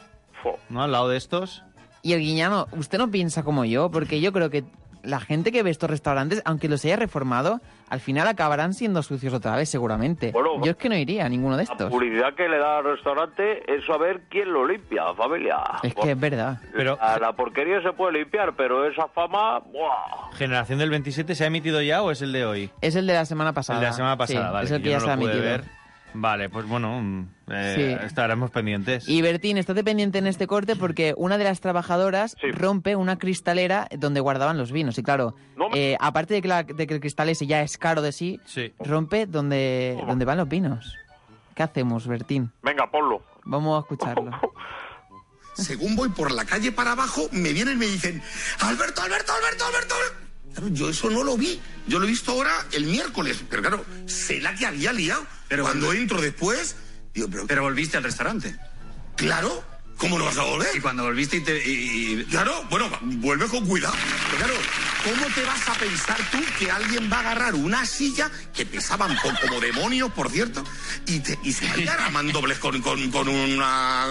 ¿no? Al lado de estos. Y Arguiñano, usted no piensa como yo, porque yo creo que la gente que ve estos restaurantes, aunque los haya reformado, al final acabarán siendo sucios otra vez, seguramente. Bueno, yo es que no iría a ninguno de estos. La publicidad que le da al restaurante es saber quién lo limpia, familia. Es que es verdad. Pero la porquería se puede limpiar, pero esa fama... ¡buah! ¿Generación del 27 se ha emitido ya o es el de hoy? Es el de la semana pasada. El de la semana pasada, sí, vale. Es el que ya se ha emitido. Ver. Vale, pues bueno, estaremos pendientes. Y Bertín, estate pendiente en este corte porque una de las trabajadoras rompe una cristalera donde guardaban los vinos. Y claro, aparte de que el cristal ese ya es caro de sí, rompe donde van los vinos. ¿Qué hacemos, Bertín? Venga, ponlo. Vamos a escucharlo. Según voy por la calle para abajo, me vienen y me dicen, Alberto. Claro, yo eso no lo vi. Yo lo he visto ahora el miércoles. Pero claro, sé la que había liado. Pero cuando entro después... Digo, pero volviste al restaurante. Claro. ¿Cómo no vas a volver? Y cuando volviste Claro, bueno, vuelve con cuidado. Pero claro, ¿cómo te vas a pensar tú que alguien va a agarrar una silla que pesaban como demonios, por cierto, y se vaya armando dobles con una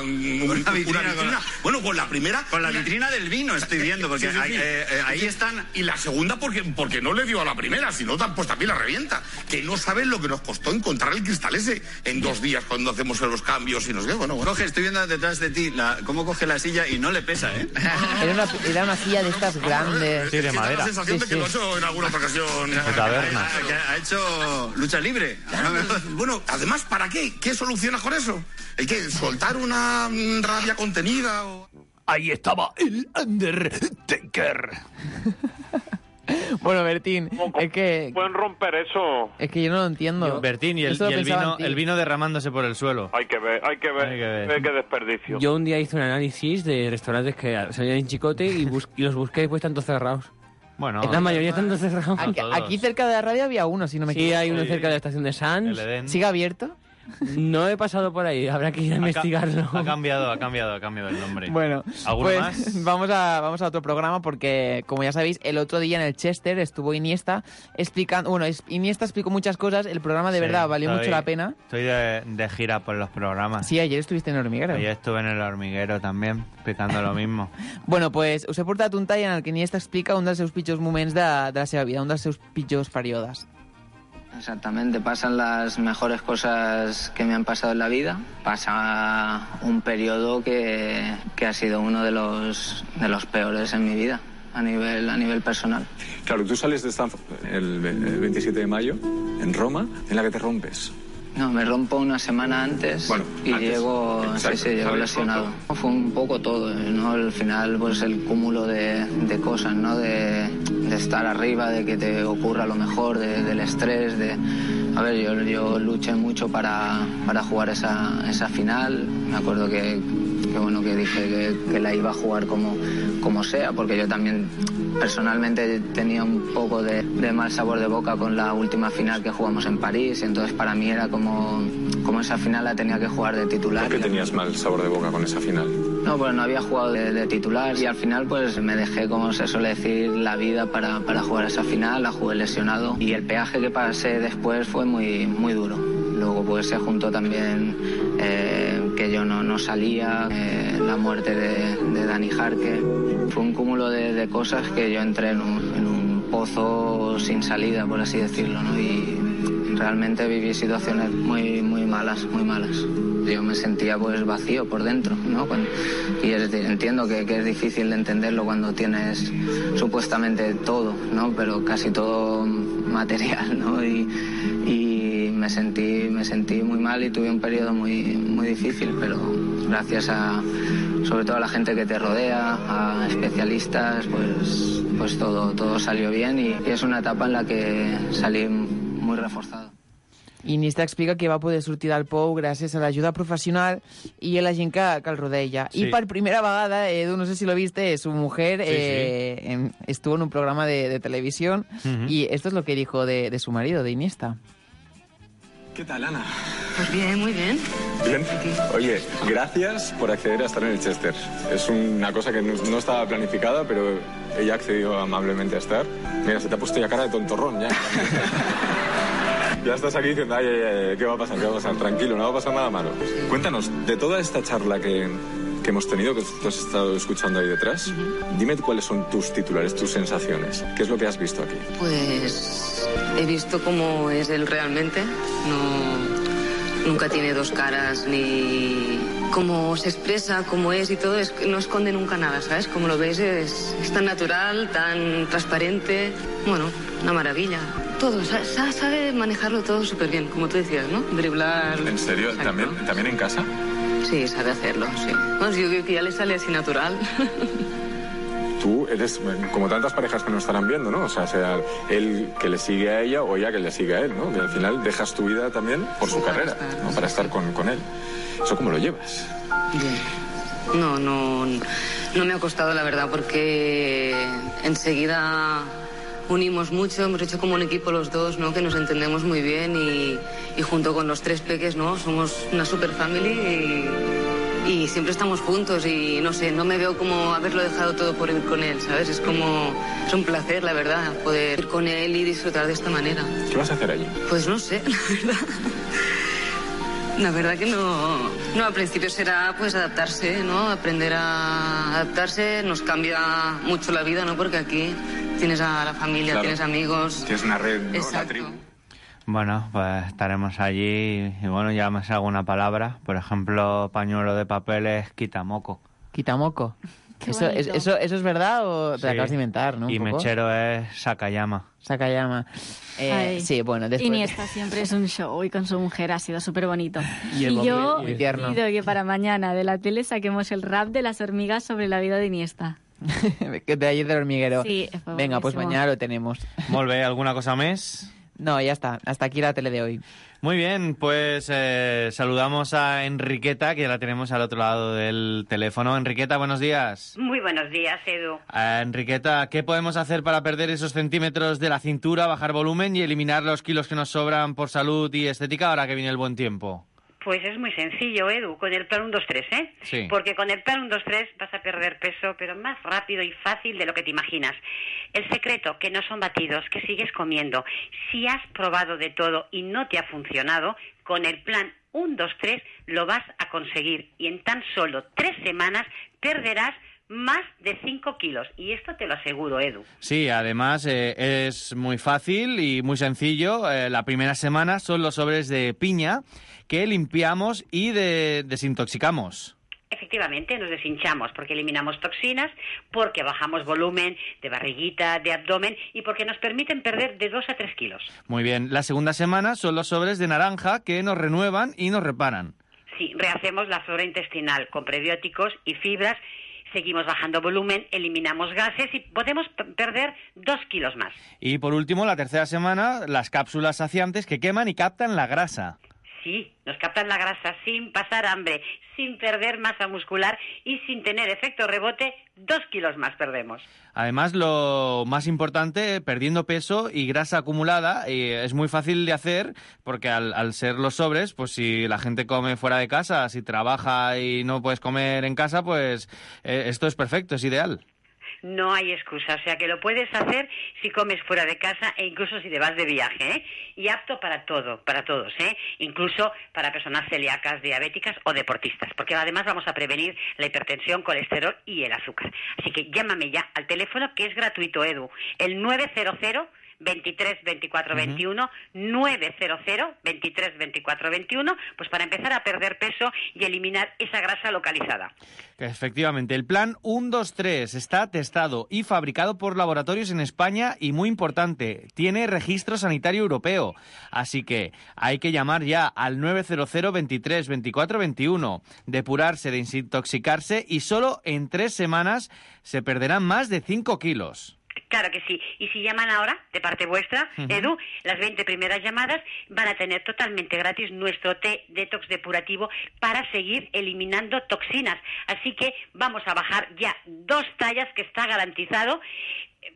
vitrina? Bueno, con la primera... Con la vitrina del vino estoy viendo, porque ahí están... Y la segunda porque no le dio a la primera, sino pues también la revienta. Que no sabes lo que nos costó encontrar el cristal ese en 2 días cuando hacemos los cambios y nos ve. Bueno. Coge, estoy viendo detrás de ti cómo coge la silla y no le pesa, ¿eh? Era una silla de estas grandes. Sí, de madera. La sensación de que lo ha hecho en alguna otra ocasión. Ha hecho lucha libre. Bueno, además, ¿para qué? ¿Qué solucionas con eso? ¿El qué? ¿Soltar una rabia contenida? Ahí estaba el Undertaker. Bueno, Bertín, es que... ¿Pueden romper eso? Es que yo no lo entiendo. Bertín, y el vino derramándose por el suelo. Hay que ver. Qué desperdicio. Yo un día hice un análisis de restaurantes que salían en Chicote y los busqué y pues están todos cerrados. Bueno, la mayoría están todos cerrados. Aquí cerca de la radio había uno, si no me equivoco. Sí, hay uno cerca de la estación de Sanz. ¿Sigue abierto? No he pasado por ahí, habrá que ir a investigarlo. Ha cambiado el nombre. Bueno, ¿alguno pues más? vamos a otro programa porque, como ya sabéis, el otro día en el Chester estuvo Iniesta explicando... Bueno, Iniesta explicó muchas cosas, el programa de verdad valió mucho la pena. Estoy de gira por los programas. Sí, ayer estuviste en el Hormiguero. Ayer estuve en el Hormiguero también, explicando lo mismo. Bueno, pues us he portat un tall en el que Iniesta explica un dels seus pitjors moments de la seva vida, un dels seus pitjors períodes. Exactamente, pasan las mejores cosas que me han pasado en la vida. Pasa un periodo que ha sido uno de los peores en mi vida a nivel personal. Claro, tú sales de Stanford el 27 de mayo en Roma, en la que te rompes. No, me rompo una semana antes y llego lesionado. Fue un poco todo, ¿no? Al final, pues el cúmulo de cosas, ¿no? De estar arriba, de que te ocurra lo mejor, del estrés, A ver, yo luché mucho para jugar esa final. Me acuerdo que dije que la iba a jugar como sea, porque yo también personalmente tenía un poco de mal sabor de boca con la última final que jugamos en París, y entonces para mí era como esa final la tenía que jugar de titular. ¿Por qué tenías mal sabor de boca con esa final? No, pues no había jugado de titular y al final pues me dejé, como se suele decir, la vida para jugar esa final, la jugué lesionado y el peaje que pasé después fue muy, muy duro. Luego pues se juntó también que yo no salía, la muerte de Dani Jarque. Fue un cúmulo de cosas que yo entré en un pozo sin salida, por así decirlo, ¿no? Y realmente viví situaciones muy, muy malas, muy malas. Yo me sentía pues vacío por dentro, ¿no? Y entiendo que es difícil de entenderlo cuando tienes supuestamente todo, ¿no? Pero casi todo material, ¿no? Y me sentí muy mal y tuve un periodo muy, muy difícil, pero gracias sobre todo a la gente que te rodea, a especialistas, pues todo salió bien y és una etapa en la que salí muy reforzado. Iniesta explica que va poder sortir del pou gràcies a l'ajuda professional i a la gent que el rodea. Sí. I per primera vegada, Edu, no sé si lo viste, su mujer estuvo en un programa de televisión y esto es lo que dijo de su marido, de Iniesta. ¿Qué tal, Ana? Pues bien, muy bien. Bien. Oye, gracias por acceder a estar en el Chester. Es una cosa que no estaba planificada, pero ella ha accedido amablemente a estar. Mira, se te ha puesto ya cara de tontorrón, ya. Ya estás aquí diciendo, ay, ¿qué va a pasar? ¿Qué va a pasar? Tranquilo, no va a pasar nada malo. Cuéntanos, de toda esta charla que hemos tenido, que tú has estado escuchando ahí detrás, dime cuáles son tus titulares, tus sensaciones. ¿Qué es lo que has visto aquí? Pues he visto cómo es él realmente. Nunca tiene dos caras, ni cómo se expresa, cómo es y todo. No esconde nunca nada, ¿sabes? Como lo ves, es tan natural, tan transparente. Bueno, una maravilla. Todo, sabe manejarlo todo súper bien, como tú decías, ¿no? Driblar... ¿En serio? ¿También en casa? Sí, sabe hacerlo, sí. Bueno, yo creo que ya le sale así natural. Tú eres como tantas parejas que nos estarán viendo, ¿no? O sea él que le sigue a ella o ella que le sigue a él, ¿no? Que al final dejas tu vida también por su carrera, ¿no? Para estar con él. ¿Eso cómo lo llevas? Bien. No me ha costado, la verdad, porque enseguida unimos mucho, hemos hecho como un equipo los dos, ¿no? Que nos entendemos muy bien y junto con los tres peques, ¿no? Somos una super family y siempre estamos juntos y no sé, no me veo como haberlo dejado todo por ir con él, ¿sabes? Es un placer, la verdad, poder ir con él y disfrutar de esta manera. ¿Qué vas a hacer allí? Pues no sé, la verdad. La verdad que no. No, al principio será pues adaptarse, ¿no? Aprender a adaptarse nos cambia mucho la vida, ¿no? Porque aquí tienes a la familia, Claro. tienes amigos. Tienes una red, ¿no? Exacto. La tribu. Bueno, pues estaremos allí y bueno, ya me sé alguna palabra. Por ejemplo, pañuelo de papel es quitamoco. ¿Quitamoco? Qué ¿Eso bonito. es verdad o te Sí. lo acabas de inventar, no? Un Y poco. mechero es Sakayama. Sakayama. Ay. Sí, bueno, después... Iniesta siempre es un show y con su mujer ha sido súper bonito. Y el yo Muy tierno. pido que para mañana de la tele saquemos el rap de las hormigas sobre la vida de Iniesta. Que de ayer del hormiguero. Sí, fue Venga, pues buenísimo. mañana lo tenemos. Molt bé, ¿alguna cosa més? No, ya está. Hasta aquí la tele de hoy. Muy bien, pues saludamos a Enriqueta, que ya la tenemos al otro lado del teléfono. Enriqueta, buenos días. Muy buenos días, Edu. Enriqueta, ¿qué podemos hacer para perder esos centímetros de la cintura, bajar volumen y eliminar los kilos que nos sobran por salud y estética ahora que viene el buen tiempo? Pues es muy sencillo, Edu, con el plan 1-2-3, ¿eh? Sí. Porque con el plan 1-2-3 vas a perder peso, pero más rápido y fácil de lo que te imaginas. El secreto, que no son batidos, que sigues comiendo. Si has probado de todo y no te ha funcionado, con el plan 1-2-3 lo vas a conseguir. Y en tan solo 3 semanas perderás más de 5 kilos. Y esto te lo aseguro, Edu. Sí, además es muy fácil y muy sencillo. La primera semana son los sobres de piña que limpiamos y desintoxicamos. Efectivamente, nos deshinchamos porque eliminamos toxinas, porque bajamos volumen de barriguita, de abdomen y porque nos permiten perder de 2 a 3 kilos. Muy bien, la segunda semana son los sobres de naranja que nos renuevan y nos reparan. Sí, rehacemos la flora intestinal con prebióticos y fibras, seguimos bajando volumen, eliminamos gases y podemos perder 2 kilos más. Y por último, la tercera semana, las cápsulas saciantes que queman y captan la grasa. Sí, nos captan la grasa sin pasar hambre, sin perder masa muscular y sin tener efecto rebote, 2 kilos más perdemos. Además, lo más importante, perdiendo peso y grasa acumulada, es muy fácil de hacer porque al ser los sobres, pues si la gente come fuera de casa, si trabaja y no puedes comer en casa, pues esto es perfecto, es ideal. No hay excusa, o sea que lo puedes hacer si comes fuera de casa e incluso si te vas de viaje, ¿eh? Y apto para todo, para todos, ¿eh? Incluso para personas celíacas, diabéticas o deportistas, porque además vamos a prevenir la hipertensión, colesterol y el azúcar. Así que llámame ya al teléfono que es gratuito, Edu, el 900 23 24 21, 900 23 24 21, pues para empezar a perder peso y eliminar esa grasa localizada. Efectivamente, el plan 1-2-3 está testado y fabricado por laboratorios en España y, muy importante, tiene registro sanitario europeo. Así que hay que llamar ya al 900 23 24 21, depurarse, desintoxicarse y solo en 3 semanas se perderán más de 5 kilos. Claro que sí. Y si llaman ahora, de parte vuestra, Edu, las 20 primeras llamadas van a tener totalmente gratis nuestro té detox depurativo para seguir eliminando toxinas. Así que vamos a bajar ya 2 tallas, que está garantizado.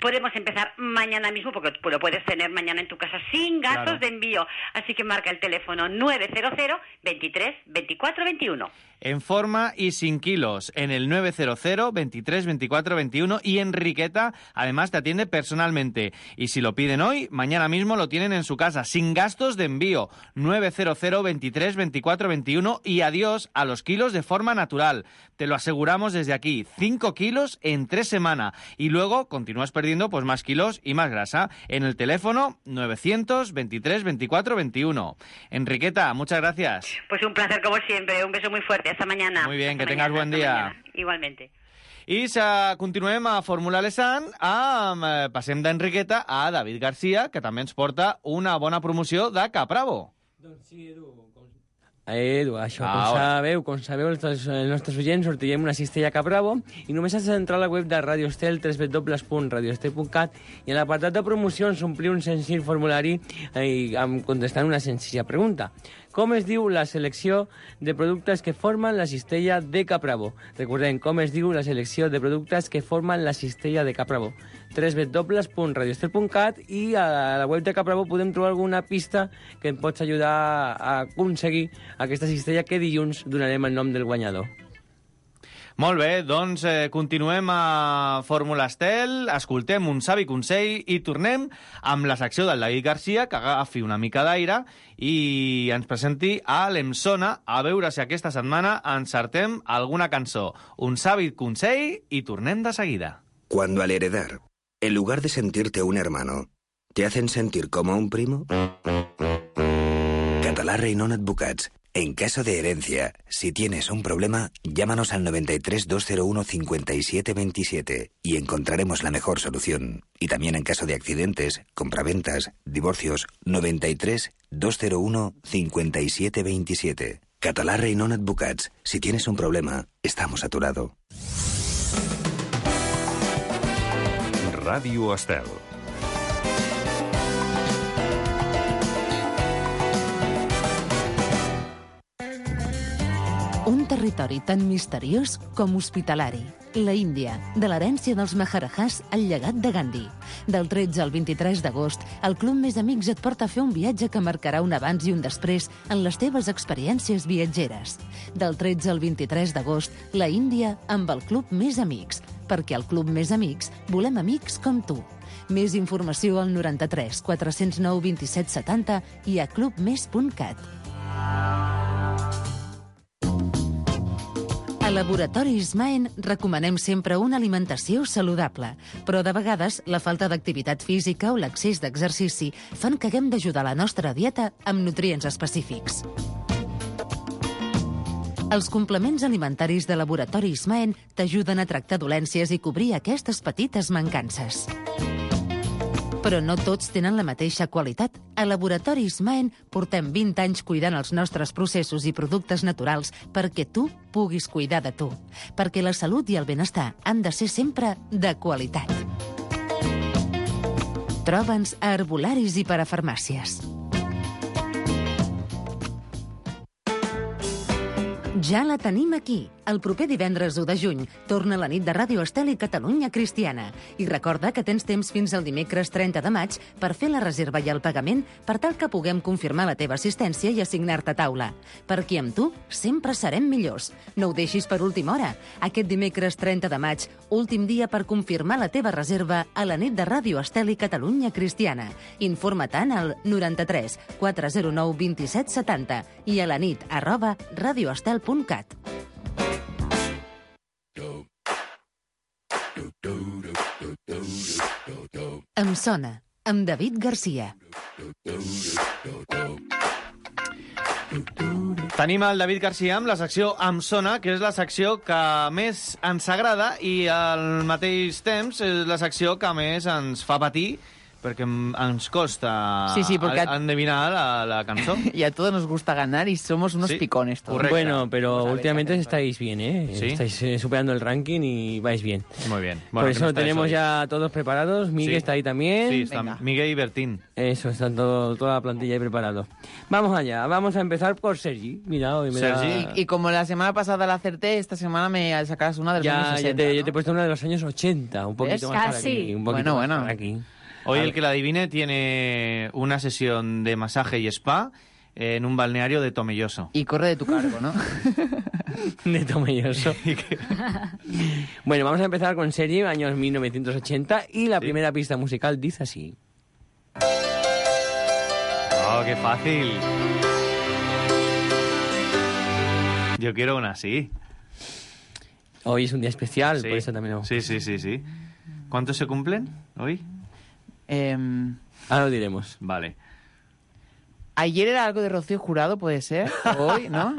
Podemos empezar mañana mismo, porque lo puedes tener mañana en tu casa sin gastos Claro. de envío. Así que marca el teléfono 900 23 24 21. En forma y sin kilos, en el 900 23 24 21, y Enriqueta además te atiende personalmente. Y si lo piden hoy, mañana mismo lo tienen en su casa, sin gastos de envío. 900 23 24 21 y adiós a los kilos de forma natural. Te lo aseguramos desde aquí, 5 kilos en 3 semanas. Y luego continúas perdiendo pues más kilos y más grasa. En el teléfono 900 23 24 21. Enriqueta, muchas gracias. Pues un placer como siempre. Un beso muy fuerte. Hasta mañana. Muy bien, Hasta que tengas mañana, buen hasta día. mañana. Igualmente. I continuem a Fórmula Lesan, passem d'Enriqueta a David Garcia, que també ens porta una bona promoció de Capravo. Doncs sí, Edu, això, com sabeu els nostres oients, sortirem una cistella Capravo i només has d'entrar a la web de Radio Estel, www.radioestel.cat, i en l'apartat de promocions omplir un senzill formulari contestant una senzilla pregunta. Com es diu la selecció de productes que formen la cistella de Capravo? Recordem, com es diu la selecció de productes que formen la cistella de Capravo? www.radioestel.cat, i a la web de Capravo podem trobar alguna pista que em pots ajudar a aconseguir aquesta cistella que dilluns donarem el nom del guanyador. Molt bé, doncs continuem a Fórmula Estel, escoltem un savi consell i tornem amb la secció del David Garcia, que agafi una mica d'aire i ens presenti a l'Emsona, a veure si aquesta setmana encertem alguna cançó. Un savi consell i tornem de seguida. Cuando al heredar, en lugar de sentirte un hermano, te hacen sentir como un primo. Català Reinon Advocats. En caso de herencia, si tienes un problema, llámanos al 93 201 57 27 y encontraremos la mejor solución. Y también en caso de accidentes, compraventas, divorcios, 93 201 57 27. Català Reinon Advocats. Si tienes un problema, estamos a tu lado. Ràdio Estel. Un territori tan misteriós com hospitalari. La Índia, de l'herència dels Maharajahs al llegat de Gandhi. Del 13 al 23 d'agost, el Club Més Amics et porta a fer un viatge que marcarà un abans i un després en les teves experiències viatgeres. Del 13 al 23 d'agost, la Índia amb el Club Més Amics. Perquè al Club Més Amics volem amics com tu. Més informació al 93 409 27 70 i a clubmes.cat. A Laboratoris Maen recomanem sempre una alimentació saludable, però de vegades la falta d'activitat física o l'excés d'exercici fan que haguem d'ajudar la nostra dieta amb nutrients específics. Els complements alimentaris de Laboratoris Maen t'ajuden a tractar dolències i cobrir aquestes petites mancances. Però no tots tenen la mateixa qualitat. A Laboratoris Maen portem 20 anys cuidant els nostres processos i productes naturals perquè tu puguis cuidar de tu. Perquè la salut i el benestar han de ser sempre de qualitat. Troba'ns a herbolaris i parafarmàcies. Ja la tenim aquí. El proper divendres 1 de juny torna la nit de Ràdio Estel i Catalunya Cristiana. I recorda que tens temps fins al dimecres 30 de maig per fer la reserva i el pagament per tal que puguem confirmar la teva assistència i assignar-te taula. Perquè amb tu sempre serem millors. No ho deixis per última hora. Aquest dimecres 30 de maig, últim dia per confirmar la teva reserva a la nit de Ràdio Estel i Catalunya Cristiana. Informa-te'n al 93 409 27 70 i a la nit@radioestel.cat. Em sona, amb David Garcia. Tenim el David Garcia amb la secció Em sona, que és la secció que més ens agrada i al mateix temps és la secció que més ens fa patir perquè ens costa endevinar la cançó. Y a todos nos gusta ganar y somos unos picones todos. Correcto. Bueno, pero últimamente estáis bien, ¿eh? ¿Sí? Estáis superando el ranking y vais bien. Muy bien. Bueno, por eso tenemos ya todos preparados. Miguel está ahí también. Sí, están Miguel y Bertín. Eso, están toda la plantilla ahí preparado. Vamos allá, vamos a empezar por Sergi. Mira, hoy me Sergi. Y como la semana pasada la acerté, esta semana me sacas una de los años 60. Yo te he puesto una de los años 80, un poquito más para aquí. Un poquito más para aquí. Hoy el que la adivine tiene una sesión de masaje y spa en un balneario de Tomelloso. Y corre de tu cargo, ¿no? De Tomelloso. Bueno, vamos a empezar con Sergi, años 1980, y la primera pista musical dice así. ¡Oh, qué fácil! Yo quiero una así. Hoy es un día especial, por eso también lo... Sí. ¿Cuántos se cumplen hoy? Ahora lo diremos. Vale. Ayer era algo de Rocío Jurado, puede ser. Hoy, ¿no?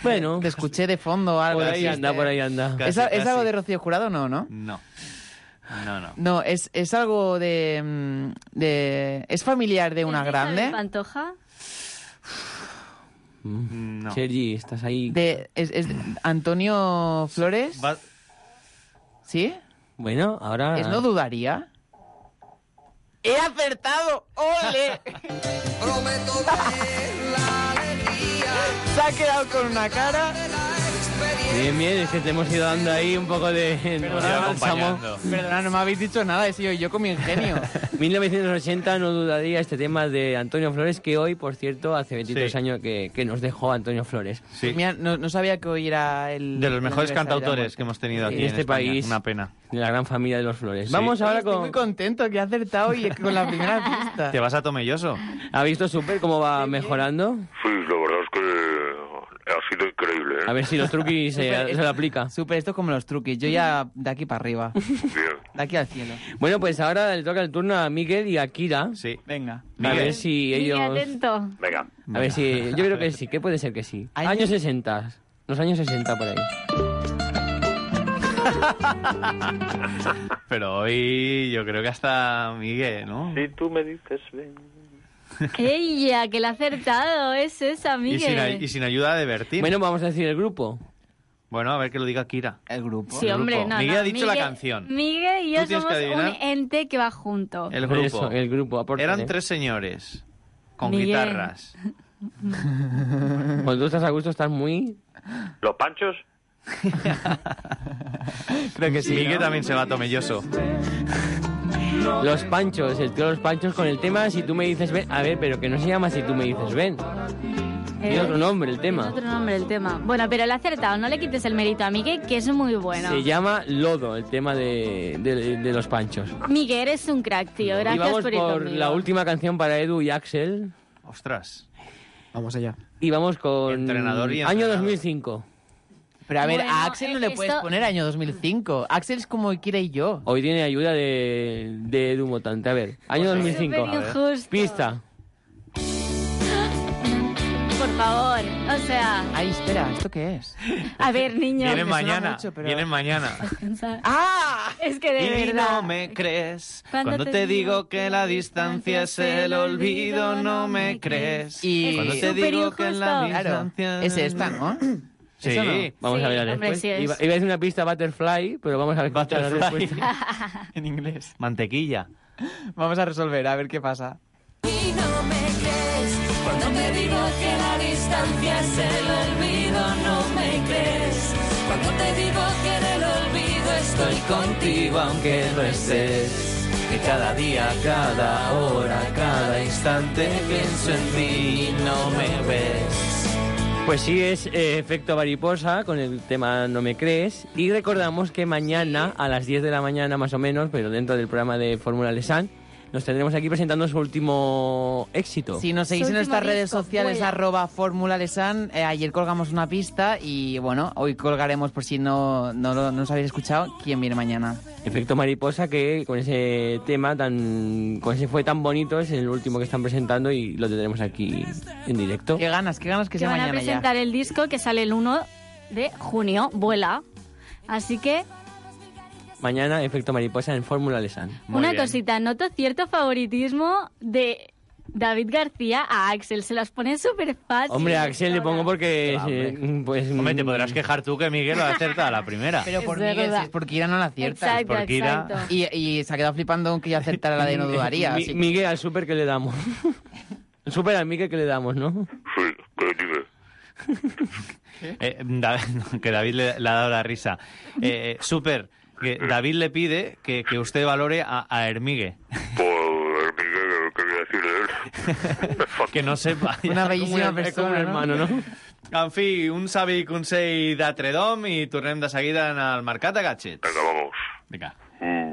Bueno. Te escuché de fondo algo. Por ahí anda. ¿Es algo de Rocío Jurado? No. No, es algo de... ¿Es familiar de una grande? ¿De Pantoja? No. Sergi, estás ahí. ¿Es Antonio Flores? ¿Sí? Bueno, ahora... ¿Es No Dudaría? ¡He acertado! ¡Ole! Se ha quedado con una cara. Bien, bien, es que te hemos ido dando ahí un poco de... Perdona, no me habéis dicho nada, he sido yo con mi ingenio. 1980, no dudaría este tema de Antonio Flores, que hoy, por cierto, hace 23 años que nos dejó Antonio Flores. Sí. Mira, no sabía que hoy era el... De los mejores cantautores que hemos tenido aquí en este España. país. Una pena. De la gran familia de los Flores. Sí. Vamos ahora Estoy con... muy contento que he acertado y con la primera pista. Te vas a Tomelloso. ¿Ha visto Super cómo va mejorando? Sí, la verdad es que ha sido increíble, ¿eh? A ver si los truquis se lo aplica. Super, esto es como los truquis. Yo ya de aquí para arriba. Bien. De aquí al cielo. Bueno, pues ahora le toca el turno a Miguel y a Kira. Sí. Venga. A ver si ellos... atento. Venga. A ver si... Yo creo que sí, que puede ser que sí. Años 60. Los años 60 por ahí. Pero hoy yo creo que hasta Miguel, ¿no? Si tú me dices ven. ¡Ella, que la ha acertado! Es esa, Miguel. Y sin ayuda de Bertín. Bueno, vamos a decir el grupo. Bueno, a ver que lo diga Kira. El grupo. Sí, hombre, no. Miguel ha dicho la Miguel- canción. Miguel y yo Tú tienes somos que un adivinar. ente que va junto. El grupo. Eso, el grupo, aporta. Eran 3 señores con Miguel. guitarras. Cuando tú estás a gusto, estás muy... ¿Los Panchos? Creo que sí. Miguel ¿no? también se va a Tomelloso. Los Panchos, el tío de los Panchos con el tema Si tú me dices ven. A ver, pero que no se llama Si tú me dices ven. Tiene otro nombre el tema. Otro nombre el tema. Bueno, pero le ha acertado. No le quites el mérito a Miguel, que es muy bueno. Se llama Lodo, el tema de los Panchos. Miguel, eres un crack, tío. Y Gracias vamos por ir por conmigo. la última canción para Edu y Axel. Ostras. Vamos allá. Y vamos con... Entrenador y Año entrenador. 2005. Pero a ver, Bueno, a Axel no le puedes esto- poner año 2005. Axel es como quiera y yo. Hoy tiene ayuda de Edu Motante. A ver, año 2005. Súper injusto. Pista. Por favor. O sea, Ay, espera, ¿esto qué es? a ver, niños. Vienen me suena mañana. mucho, pero- Vienen mañana. ¡Ah! Es que de Y verdad. no me crees. Cuando Cuando te digo que la distancia es el olvido, no me crees. Y Cuando te Súper digo que en la injusto. Claro, distancia... es esta, ¿no? Sí. ¿Eso no? Vamos Sí, a ver hombre, después. sí es. Iba a decir una pista Butterfly, pero vamos a ver la Butterfly. respuesta. En inglés. Mantequilla. Vamos a resolver, a ver qué pasa. Y no me crees cuando te digo que la distancia es el olvido, no me crees cuando te digo que en el olvido estoy contigo aunque no estés, que cada día, cada hora, cada instante pienso en ti y no me ves. Pues sí, es Efecto Mariposa con el tema No me crees. Y recordamos que mañana a las 10 de la mañana más o menos, pero dentro del programa de Fórmula Lesan, nos tendremos aquí presentando su último éxito. Si nos seguís Su en nuestras último redes disco, sociales, vuela. @Fórmula Lesan, ayer colgamos una pista y bueno, hoy colgaremos por si no nos habéis escuchado, quién viene mañana. Efecto Mariposa, que con ese tema con ese fue tan bonito, es el último que están presentando y lo tendremos aquí en directo. Qué ganas que Que sea van a mañana presentar ya. el disco que sale el 1 de junio. Vuela. Así que, Mañana Efecto Mariposa en Fórmula Lesan. una cosita. Noto cierto favoritismo de David García a Axel. Se las pone súper fácil. Hombre, a Axel le pongo porque... pues, Hombre, te podrás quejar tú que Miguel lo ha acertado a la primera. Pero por Es Miguel, verdad. si es porque Ira no la acierta. Exacto, porque Ira- exacto. Y se ha quedado flipando aunque yo acertara la de no dudaría. así que- Miguel, al súper que le damos. El súper al Miguel que le damos, ¿no? Sí, que dime. Que David le ha dado la risa. Súper, que David le pide que usted valore a Hermigue. Pues, Miguel, ¿qué voy a decir de él? Que no sepa. Una bellísima Es como un persona, hermano, ¿no? En fi, un savi consell de Tredom i tornem de seguida en el Mercat de Gadgets. Venga, vamos. Vinga.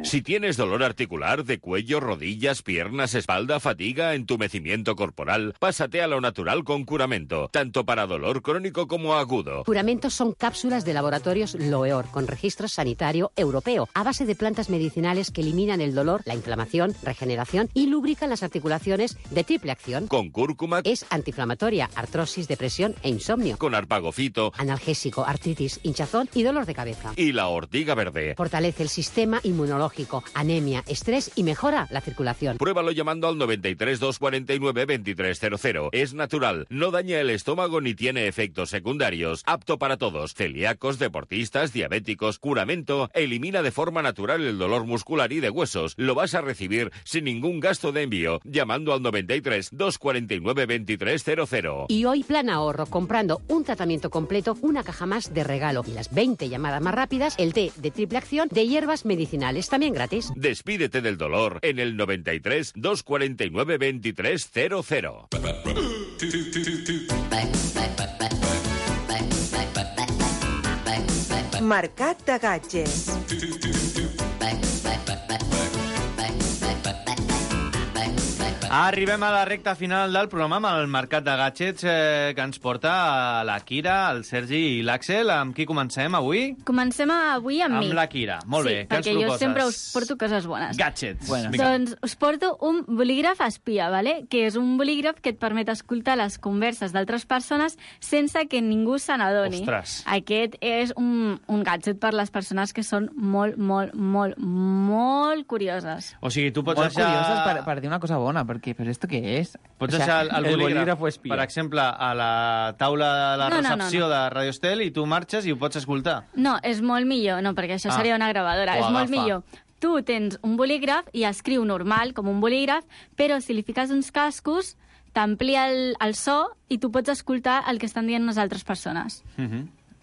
Si tienes dolor articular de cuello, rodillas, piernas, espalda, fatiga, entumecimiento corporal, pásate a lo natural con Curamento, tanto para dolor crónico como agudo. Curamentos son cápsulas de laboratorios Loeor con registro sanitario europeo a base de plantas medicinales que eliminan el dolor, la inflamación, regeneración y lubrican las articulaciones de triple acción. Con cúrcuma, Es antiinflamatoria, artrosis, depresión e insomnio. con arpagofito Analgésico, artritis, hinchazón y dolor de cabeza. y la ortiga verde. Fortalece el sistema sistema inmunológico, anemia, estrés y mejora la circulación. Pruébalo llamando al 93 249 2300. Es natural, no daña el estómago ni tiene efectos secundarios. Apto para todos, celíacos, deportistas, diabéticos. Curamento elimina de forma natural el dolor muscular y de huesos. Lo vas a recibir sin ningún gasto de envío, llamando al 93 249 2300. Y hoy plan ahorro, comprando un tratamiento completo, una caja más de regalo y las 20 llamadas más rápidas, el té de triple acción de hierbas medicinales, también gratis. Despídete del dolor en el 93 249 2300. Mercat de Gadgets. Arribem a la recta final del programa amb el Mercat de Gadgets que ens porta la Kira, el Sergi i l'Àxel. Amb qui comencem avui? Comencem avui amb mi. Amb la Kira, molt bé. Què ens perquè proposes? jo sempre us porto coses bones. Gadgets. Bueno. Doncs us porto un bolígraf espia, ¿vale? Que és un bolígraf que et permet escoltar les converses d'altres persones sense que ningú se n'adoni. Ostres. Aquest és un gadget per les persones que són molt curioses. O sigui, tu pots Molt deixar... curioses per dir una cosa bona, perquè, però ¿esto qué es? Pots O sea, deixar el bolígraf, espia. per exemple, a la taula de la recepció de Radio Estel i tu marxes i ho pots escoltar. No, és molt millor, no, perquè això seria una gravadora. És molt millor. Tu tens un bolígraf i escriu normal, com un bolígraf, però si li fiques uns cascos, t'amplia el so i tu pots escoltar el que estan dient les altres persones.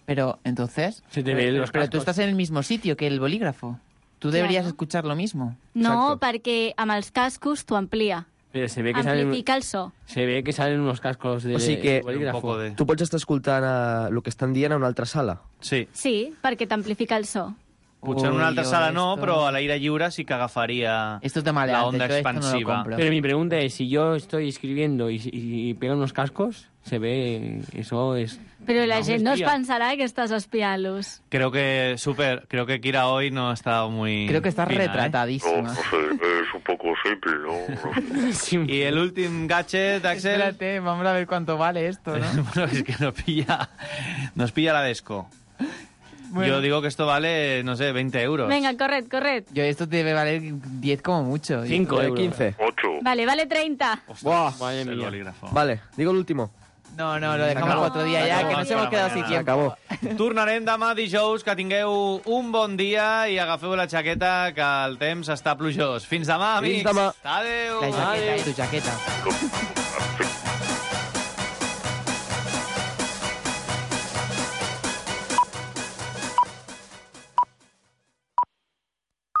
Pero, entonces... Se te ve los pero cascos. tú estás en el mismo sitio que el bolígrafo. Tú deberías escuchar lo mismo. No, perquè amb els cascos t'ho amplia. Pero se ve que Amplifica el so. Se ve que salen unos cascos de O sigui que bolígrafo. tu pots estar escoltant el que estan dient a una altra sala. Sí. Sí, perquè t'amplifica el so. Potser en una altra sala no, però a l'aire lliure sí que agafaria la onda expansiva. Pero mi pregunta es, si yo estoy escribiendo y pegan unos cascos, se ve, eso es... Però la gent no es espia. pensarà que estàs espiant-los. Creo que Kira hoy no ha estado muy... Creo que está fina, retratadísima. No sé, es un poco simple, ¿no? Y el último gadget, Axel... Espérate, vamos a ver cuánto vale esto, ¿no? Bueno, es que nos pilla la desco. Bueno. Yo digo que esto vale, no sé, 20 euros. Venga, corred. Yo esto debe valer 10 como mucho. 5 euros. 15. 8. Vale 30. Buah. Madre El mía. bolígrafo. Vale, digo el último. No, lo dejamos para otro día ya, que nos hemos quedado sin tiempo. Acabó. Tornarem demà dijous, que tingueu un bon dia i agafeu la jaqueta, que el temps està plujós. Fins demà, amics. Fins demà. Adéu. La jaqueta, tu jaqueta.